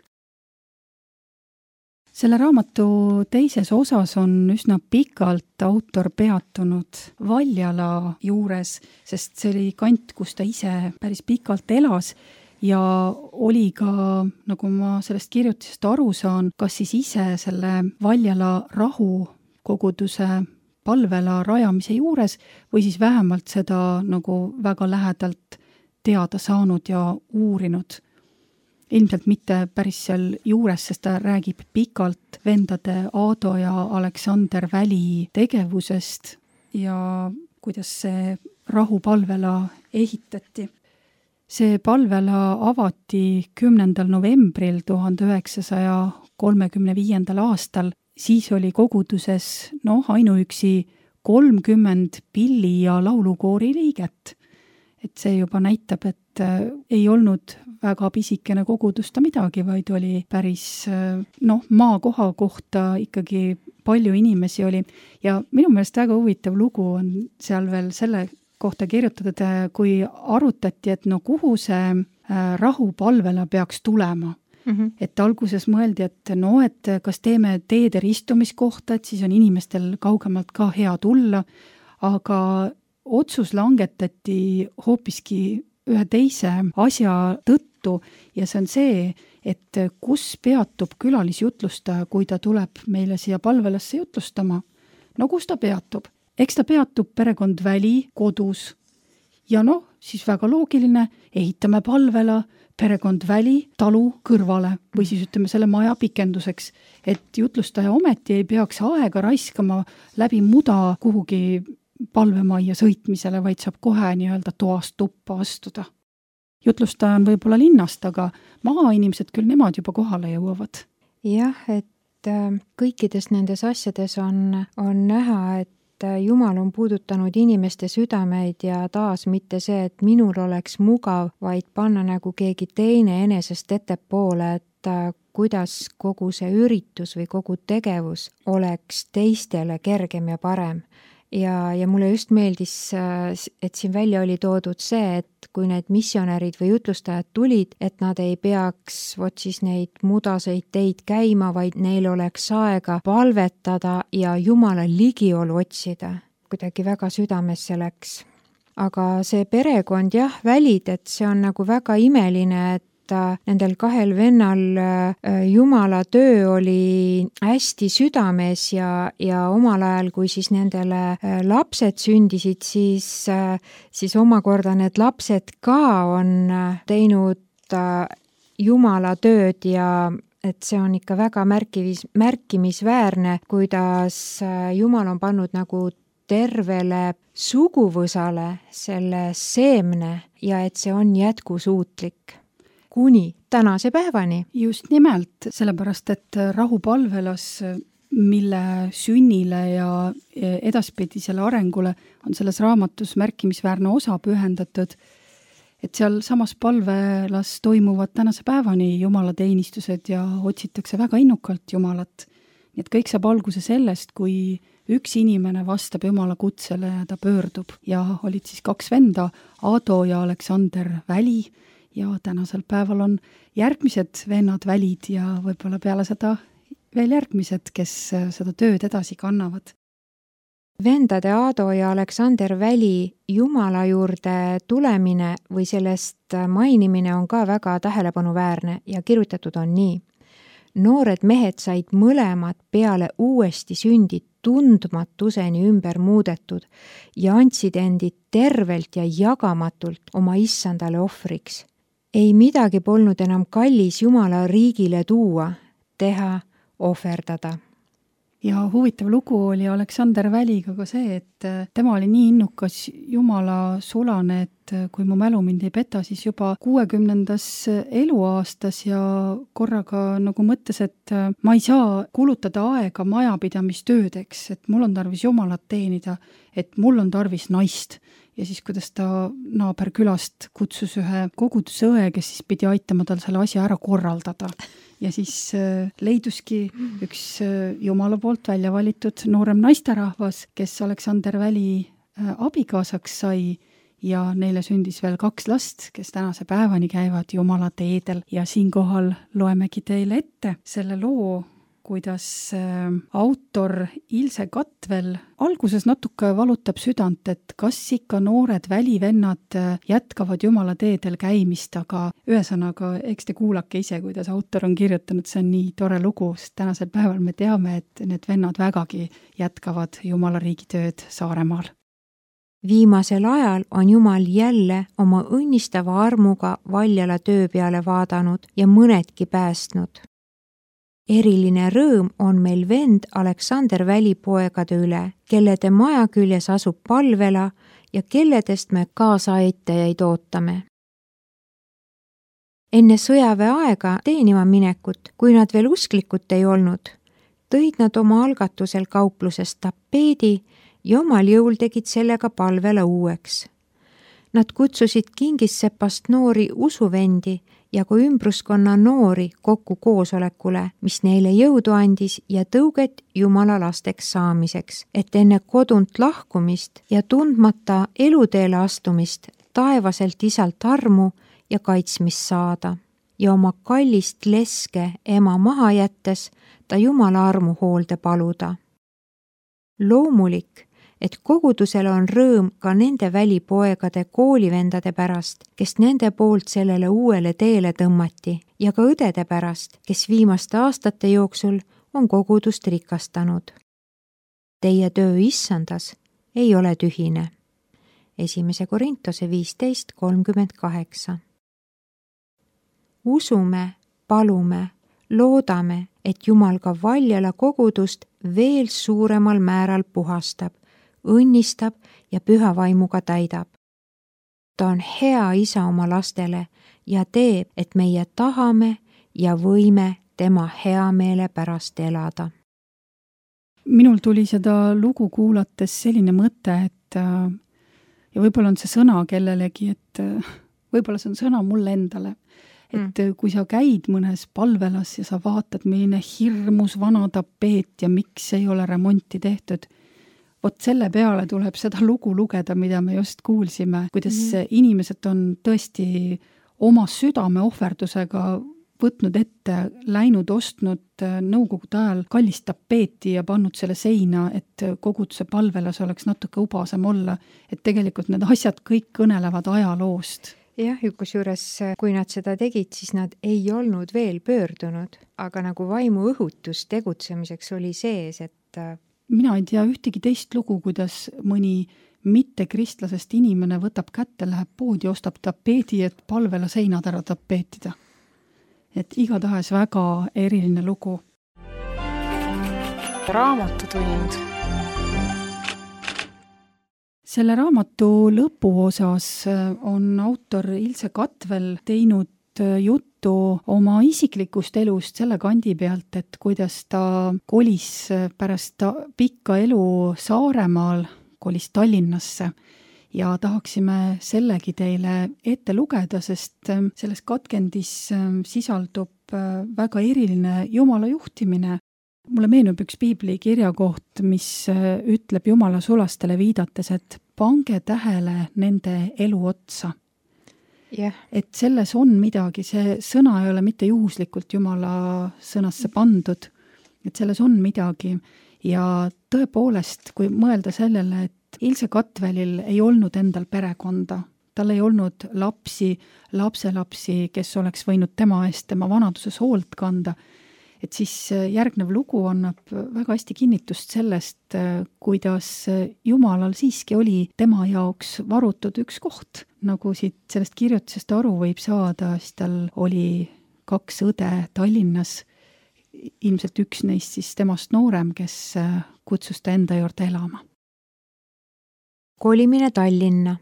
Selle raamatu teises osas on üsna pikalt autor peatunud Valjala juures, sest see oli kant, kus ta ise päris pikalt elas ja oli ka, nagu ma sellest kirjutisest aru saan, kas siis ise selle Valjala rahukoguduse palvela rajamise juures või siis vähemalt seda nagu väga lähedalt teada saanud ja uurinud. Ilmselt mitte päris seal juures, sest ta räägib pikalt vendade Aado ja Aleksander Väli tegevusest ja kuidas see rahupalvela ehitati. See palvela avati 10. novembril 1935. aastal. Siis oli koguduses ainuüksi 30 pilli- ja laulukoori liiget. Et see juba näitab, et ei olnud väga pisikene kogudus ta midagi, vaid oli päris maakoha kohta ikkagi palju inimesi oli. Ja minu meelest väga huvitav lugu on seal veel selle kohta kirjutatud, kui arutati, et kuhu see rahupalvela peaks tulema. Et alguses mõeldi, et kas teeme teede ristumiskohta, et siis on inimestel kaugemalt ka hea tulla, aga otsus langetati hoopiski ühe teise asja tõttu ja see on see, et kus peatub külalisjutlustaja, kui ta tuleb meile siia palvelasse jutlustama. No kus ta peatub? Eks ta peatub perekond Väli kodus ja siis väga loogiline, ehitame palvela perekond Väli talu kõrvale või siis ütleme selle maja pikenduseks, et jutlustaja ometi ei peaks aega raiskama läbi muda kuhugi palvemajja sõitmisele, vaid saab kohe nii-öelda toast tuppa astuda. Jutlustaja on võib-olla linnast, aga maainimesed küll nemad juba kohale jõuavad. Jah, et kõikides nendes asjades on näha, et Jumal on puudutanud inimeste südameid ja taas mitte see, et minul oleks mugav, vaid panna nagu keegi teine enesest ettepoole, et kuidas kogu see üritus või kogu tegevus oleks teistele kergem ja parem. Ja mulle just meeldis, et siin välja oli toodud see, et kui need missionärid või jutlustajad tulid, et nad ei peaks siis neid mudaseid teid käima, vaid neil oleks aega palvetada ja Jumala ligiolu otsida. Kuidagi väga südamesse läks. Aga see perekond Välid, et see on nagu väga imeline, et nendel kahel vennal Jumala töö oli hästi südames ja omal ajal, kui siis nendele lapsed sündisid, siis omakorda need lapsed ka on teinud Jumala tööd ja et see on ikka väga märkimisväärne, kuidas Jumal on pannud nagu tervele suguvõsale selle seemne ja et see on jätkusuutlik. Kuni tänase päevani. Just nimelt, sellepärast, et rahupalvelas, mille sünnile ja edaspidisele arengule on selles raamatus märkimisväärne osa pühendatud, et seal samas palvelas toimuvad tänase päevani jumalateenistused ja otsitakse väga innukalt Jumalat. Nii et kõik saab alguse sellest, kui üks inimene vastab Jumala kutsele ja ta pöördub. Ja olid siis kaks venda, Aado ja Aleksander Väli, ja tänasel päeval on järgmised vennad Välid ja võib-olla peale seda veel järgmised, kes seda tööd edasi kannavad. Vendade Aado ja Aleksander Väli Jumala juurde tulemine või sellest mainimine on ka väga tähelepanuväärne ja kirjutatud on nii. Noored mehed said mõlemad peale uuesti sündid tundmatuseni ümber muudetud ja andsid endid tervelt ja jagamatult oma issandale ohvriks. Ei midagi polnud enam kallis Jumala riigile tuua, teha, ohverdada. Ja huvitav lugu oli Aleksander Väliga ka see, et tema oli nii innukas Jumala sulane, et kui mu mälu mind ei peta, siis juba 60. eluaastas ja korraga nagu mõttes, et ma ei saa kulutada aega majapidamistöödeks, et mul on tarvis Jumalat teenida, et mul on tarvis naist. Ja siis, kuidas ta naaberkülast kutsus ühe kogudusõe, kes siis pidi aitama tal selle asja ära korraldada. Ja siis leiduski üks Jumala poolt välja valitud noorem naisterahvas, kes Aleksander Väli abikaasaks sai ja neile sündis veel 2 last, kes tänase päevani käivad Jumala teedel. Ja siinkohal loemegi teile ette selle loo, kuidas autor Ilse Katvel alguses natuke valutab südant, et kas ikka noored välivennad jätkavad Jumala teedel käimist, aga ühesõnaga, eks te kuulake ise, kuidas autor on kirjutanud, see on nii tore lugu, sest tänasel päeval me teame, et need vennad vägagi jätkavad Jumala riigi tööd Saaremaal. Viimasel ajal on Jumal jälle oma õnnistava armuga Valjala töö peale vaadanud ja mõnedki päästnud. Eriline rõõm on meil vend Aleksander Välipoegade üle, kellede maja küljes asub Palvela ja kelledest me kaasaaitajaid ootame. Enne sõjaväe aega teenima minekut, kui nad veel usklikud ei olnud, tõid nad oma algatusel kauplusest tapeedi ja omal jõul tegid sellega Palvela uueks. Nad kutsusid Kingissepast noori usuvendi ja kui ümbruskonna noori kokku koosolekule, mis neile jõudu andis ja tõuget Jumala lasteks saamiseks, et enne kodunt lahkumist ja tundmata eluteele astumist taevaselt isalt armu ja kaitsmist saada ja oma kallist leske ema maha jättes ta Jumala armu hoolde paluda. Loomulik, et kogudusel on rõõm ka nende välipoegade koolivendade pärast, kes nende poolt sellele uuele teele tõmmati ja ka õdede pärast, kes viimaste aastate jooksul on kogudust rikastanud. Teie töö issandas ei ole tühine. 1. Korintuse 15:38. Usume, palume, loodame, et Jumal ka Valjala kogudust veel suuremal määral puhastab, õnnistab ja püha vaimuga täidab. Ta on hea isa oma lastele ja teeb, et meie tahame ja võime tema heameele pärast elada. Minul tuli seda lugu kuulates selline mõte, et ja võib-olla on see sõna kellelegi, et võib-olla see on sõna mulle endale, et kui sa käid mõnes Palvelas ja sa vaatad, milline hirmus vana tapeet ja miks ei ole remonti tehtud, vot selle peale tuleb seda lugu lugeda, mida me just kuulsime, kuidas inimesed on tõesti oma südame ohverdusega võtnud ette, läinud, ostnud nõukogude ajal kallist tapeeti ja pannud selle seina, et koguduse Palvelas oleks natuke ubasem olla, et tegelikult need asjad kõik kõnelevad ajaloost. Jah, kusjuures kui nad seda tegid, siis nad ei olnud veel pöördunud, aga nagu vaimu õhutus tegutsemiseks oli sees, et mina ei tea ühtegi teist lugu, kuidas mõni mittekristlasest inimene võtab kätte, läheb poodi, ostab tapeedi, et Palvela seinad ära tapeetida. Et igatahes väga eriline lugu. Raamatutund. Selle raamatu lõpuosas on autor Ilse Katvel teinud juttu oma isiklikust elust selle kandi pealt, et kuidas ta kolis pärast pikka elu Saaremaal, kolis Tallinnasse ja tahaksime sellegi teile ette lugeda, sest selles katkendis sisaldub väga eriline Jumala juhtimine. Mulle meenub üks piibli kirjakoht, mis ütleb Jumala sulastele viidates, et pange tähele nende elu otsa. Yeah. Et selles on midagi, see sõna ei ole mitte juhuslikult Jumala sõnasse pandud, et selles on midagi ja tõepoolest, kui mõelda sellele, et Ilse Katvelil ei olnud endal perekonda, tal ei olnud lapsi, lapselapsi, kes oleks võinud tema eest tema vanaduses hoolt kanda, et siis järgnev lugu annab väga hästi kinnitust sellest, kuidas Jumalal siiski oli tema jaoks varutud üks koht. Nagu siit sellest kirjutisest aru võib saada, siis tal oli 2 õde Tallinnas, ilmselt üks neist siis temast noorem, kes kutsus ta enda juurde elama. Kolimine Tallinna.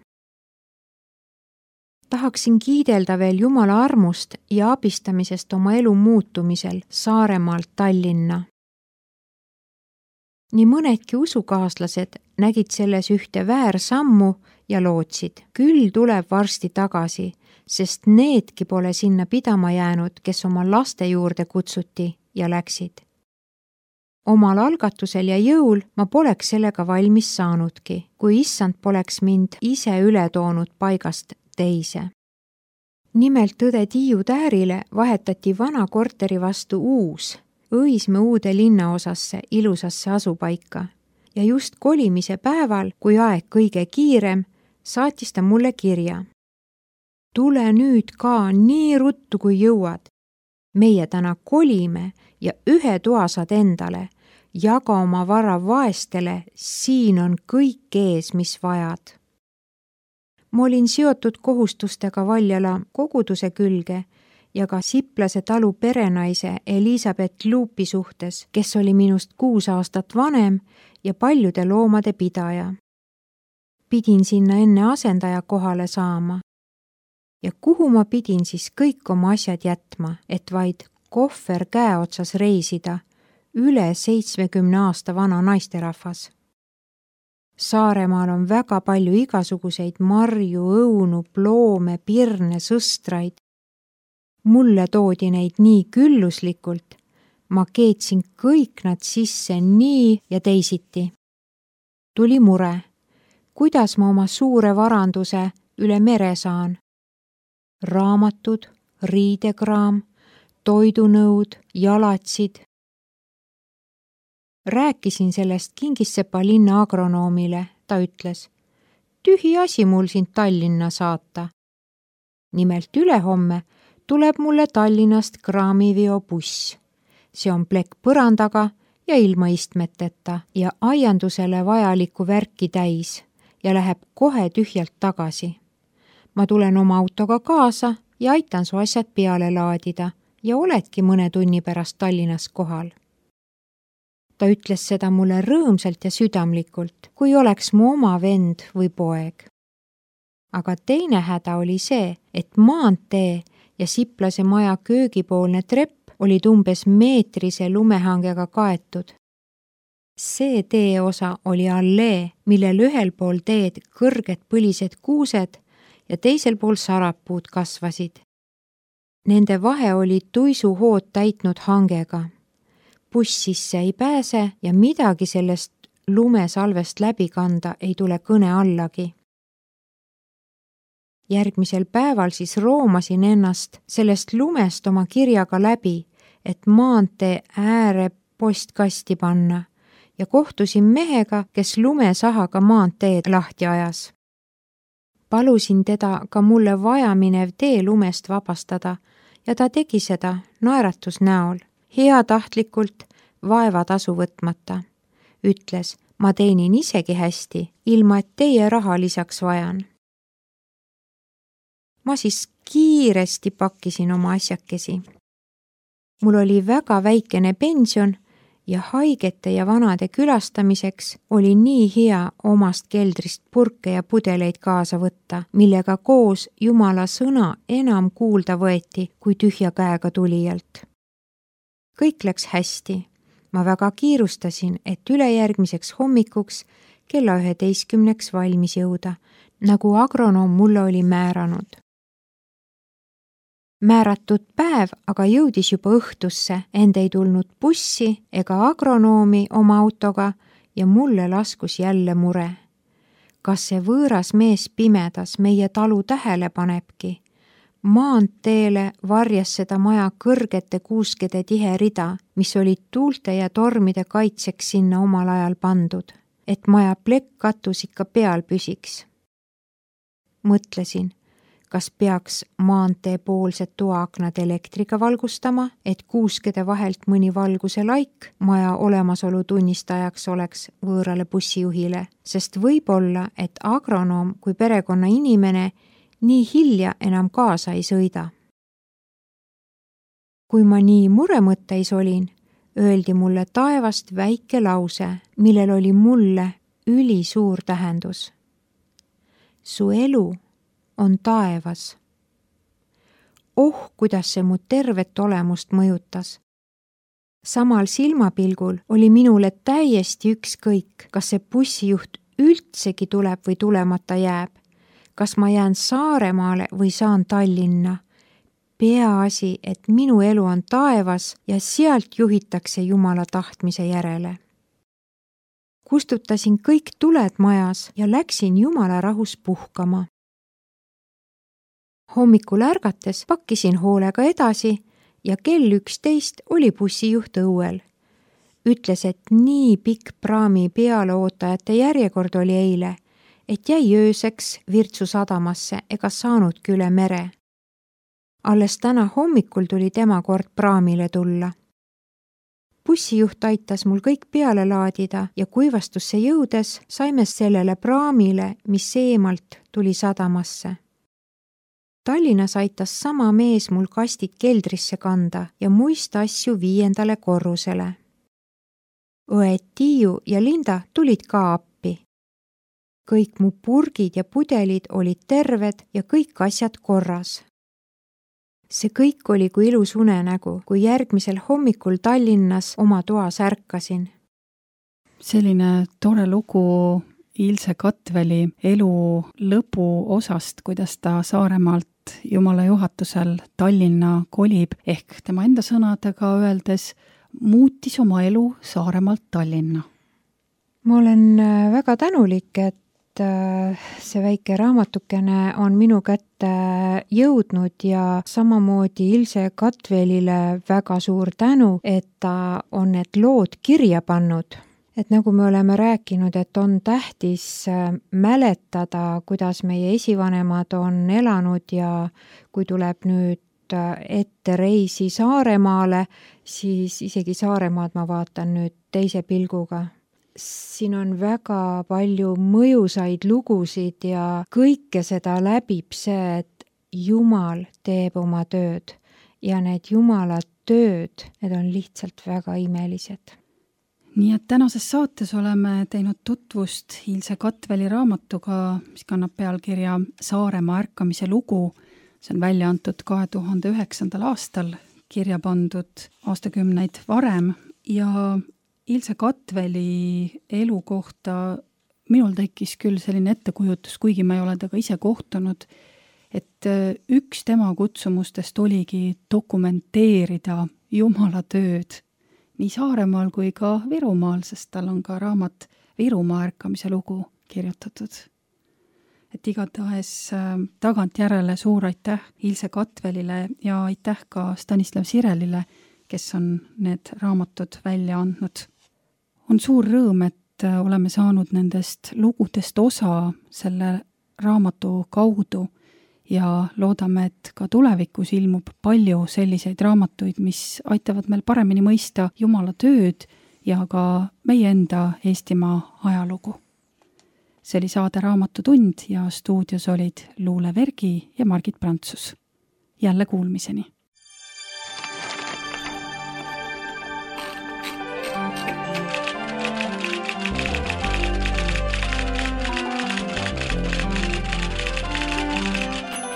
Tahaksin kiidelda veel Jumala armust ja abistamisest oma elu muutumisel Saaremaalt Tallinna. Nii mõnedki usukaaslased nägid selles ühte väärsammu ja lootsid. Küll tuleb varsti tagasi, sest needki pole sinna pidama jäänud, kes oma laste juurde kutsuti ja läksid. Omal algatusel ja jõul ma poleks sellega valmis saanudki, kui issand poleks mind ise üle toonud paigast teise. Nimelt õde Tiiu Täärile vahetati vana korteri vastu uus, Õismäe uude linnaosasse, ilusasse asupaika. Ja just kolimise päeval, kui aeg kõige kiirem, saatis ta mulle kirja. Tule nüüd ka nii ruttu, kui jõuad. Meie täna kolime ja ühe toa saad endale. Jaga oma vara vaestele, siin on kõik ees, mis vajad. Ma olin seotud kohustustega Valjala koguduse külge ja ka Siplase talu perenaise Elisabeth Luupi suhtes, kes oli minust 6 aastat vanem ja paljude loomade pidaja. Pidin sinna enne asendaja kohale saama. Ja kuhu ma pidin siis kõik oma asjad jätma, et vaid kohver käeotsas reisida, üle 70 aasta vana naisterahvas. Saaremaal on väga palju igasuguseid marju, õunu, ploome, pirne, sõstraid. Mulle toodi neid nii külluslikult. Ma keetsin kõik nad sisse nii ja teisiti. Tuli mure. Kuidas ma oma suure varanduse üle mere saan? Raamatud, riidekraam, toidunõud, jalatsid. Rääkisin sellest Kingissepa linna agronoomile. Ta ütles, tühi asi mul sind Tallinna saata. Nimelt ülehomme tuleb mulle Tallinnast kraamiviobuss. See on plekk põrandaga ja ilma istmeteta ja aiandusele vajalikku värki täis ja läheb kohe tühjalt tagasi. Ma tulen oma autoga kaasa ja aitan su asjad peale laadida ja oledki mõne tunni pärast Tallinnas kohal. Ta ütles seda mulle rõõmsalt ja südamlikult, kui oleks mu oma vend või poeg. Aga teine häda oli see, et maantee ja Siplase maja köögipoolne trepp olid umbes meetrise lumehangega kaetud. See teeosa oli allee, millel ühel pool teed kõrged põlised kuused ja teisel pool sarapuud kasvasid. Nende vahe oli tuisuhood täitnud hangega. Buss sisse ei pääse ja midagi sellest lumesalvest läbi kanda ei tule kõne allagi. Järgmisel päeval siis roomasin ennast sellest lumest oma kirjaga läbi, et maantee ääre postkasti panna ja kohtusin mehega, kes lumesahaga maanteed lahti ajas. Palusin teda ka mulle vajaminev tee lumest vabastada ja ta tegi seda naeratus näol, heatahtlikult, vaevatasu võtmata. Ütles, ma teenin isegi hästi, ilma et teie raha lisaks vajan. Ma siis kiiresti pakkisin oma asjakesi. Mul oli väga väikene pension ja haigete ja vanade külastamiseks oli nii hea omast keldrist purke ja pudeleid kaasa võtta, millega koos Jumala sõna enam kuulda võeti kui tühja käega tulijalt. Kõik läks hästi. Ma väga kiirustasin, et ülejärgmiseks hommikuks kella 11 valmis jõuda, nagu agronoom mulle oli määranud. Määratud päev aga jõudis juba õhtusse, end ei tulnud bussi ega agronoomi oma autoga ja mulle laskus jälle mure. Kas see võõras mees pimedas meie talu tähele panebki? Maanteele varjas seda maja kõrgete kuuskede tihe rida, mis olid tuulte ja tormide kaitseks sinna omal ajal pandud, et maja plekkkatus ikka peal püsiks. Mõtlesin, kas peaks maantee poolsed toaaknad elektriga valgustama, et kuuskede vahelt mõni valguse laik maja olemasolu tunnistajaks oleks võõrale bussijuhile, sest võib-olla, et agronoom kui perekonna inimene nii hilja enam kaasa ei sõida. Kui ma nii muremõtteis olin, öeldi mulle taevast väike lause, millel oli mulle ülisuur tähendus. Su elu on taevas. Oh, kuidas see mu tervet olemust mõjutas. Samal silmapilgul oli minule täiesti ükskõik, kas see bussijuht üldsegi tuleb või tulemata jääb. Kas ma jään Saaremaale või saan Tallinna. Peaasi, et minu elu on taevas ja sealt juhitakse Jumala tahtmise järele. Kustutasin kõik tuled majas ja läksin Jumala rahus puhkama. Hommikul ärgates pakkisin hoolega edasi ja kell 11 oli bussijuht õuel. Ütles, et nii pikk praami pealeootajate järjekord oli eile, et jäi ööseks Virtsu sadamasse ega saanudki üle mere. Alles täna hommikul tuli tema kord praamile tulla. Bussijuht aitas mul kõik peale laadida ja kuivastusse jõudes saime sellele praamile, mis eemalt tuli sadamasse. Tallinnas aitas sama mees mul kastid keldrisse kanda ja muist asju 5. korrusele. Õed Tiiu ja Linda tulid ka appi. Kõik mu purgid ja pudelid olid terved ja kõik asjad korras. See kõik oli kui ilus unenägu, kui järgmisel hommikul Tallinnas oma toas ärkasin. Selline tore lugu Ilse Katveli elu lõpu osast, kuidas ta Saaremaalt Jumala juhatusel Tallinna kolib, ehk tema enda sõnadega öeldes muutis oma elu Saaremaalt Tallinna. Ma olen väga tänulik, et see väike raamatukene on minu kätte jõudnud ja samamoodi Ilse Katvelile väga suur tänu, et ta on need lood kirja pannud. Et nagu me oleme rääkinud, et on tähtis mäletada, kuidas meie esivanemad on elanud ja kui tuleb nüüd ette reisi Saaremaale, siis isegi Saaremaad ma vaatan nüüd teise pilguga. Siin on väga palju mõjusaid lugusid ja kõike seda läbib see, et Jumal teeb oma tööd ja need Jumala tööd, need on lihtsalt väga imelised. Nii et tänases saates oleme teinud tutvust Ilse Katveli raamatuga, mis kannab pealkirja Saaremaa ärkamise lugu. See on välja antud 2009. aastal, kirja pandud aastakümneid varem ja Ilse Katveli elu kohta minul tekkis küll selline ettekujutus, kuigi ma ei ole temaga ise kohtunud, et üks tema kutsumustest oligi dokumenteerida Jumala tööd nii Saaremaal kui ka Virumaal, sest tal on ka raamat Virumaa ärkamise lugu kirjutatud. Et igatahes tagantjärele suur aitäh Ilse Katvelile ja aitäh ka Stanislav Sirelile, kes on need raamatud välja andnud. On suur rõõm, et oleme saanud nendest lugudest osa selle raamatu kaudu ja loodame, et ka tulevikus ilmub palju selliseid raamatuid, mis aitavad meil paremini mõista Jumala tööd ja ka meie enda Eestimaa ajalugu. See oli saade Raamatutund ja stuudios olid Luule Vergi ja Margit Prantsus. Jälle kuulmiseni!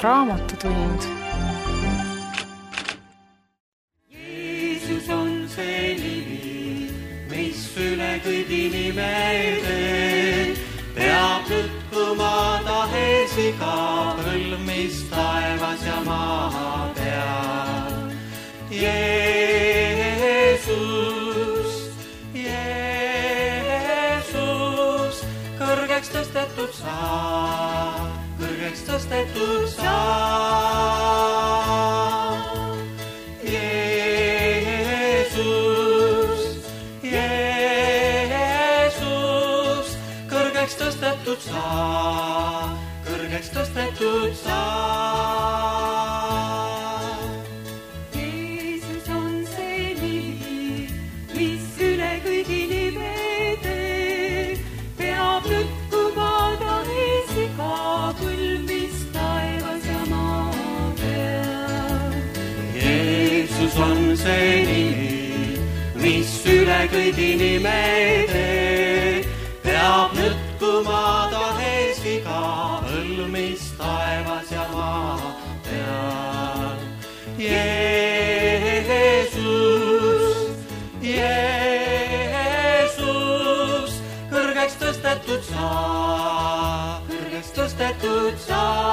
Raamatutund. Jeesus on see nimi, mis üle kõigi nimede peab lükkuma tahes iga põlv, mis taevas ja maa peal. Jeesus, kõrgeks tõstetud saa. Kõrgeks tõstetud saa. Jeesus, kõrgeks tõstetud saa. Kõrgeks tõstetud saa. Jeesus on see nimi, mis üle kõigi nimede peab lükkuma tahes iga põlv, mis taevas ja maa peal. Jeesus on see nimi, mis üle kõigi nimede peab lükkuma tahes iga põlv, mis taevas ja maa peal. Jeesus, kõrgeks tõstetud saa. Kõrgeks tõstetud saa.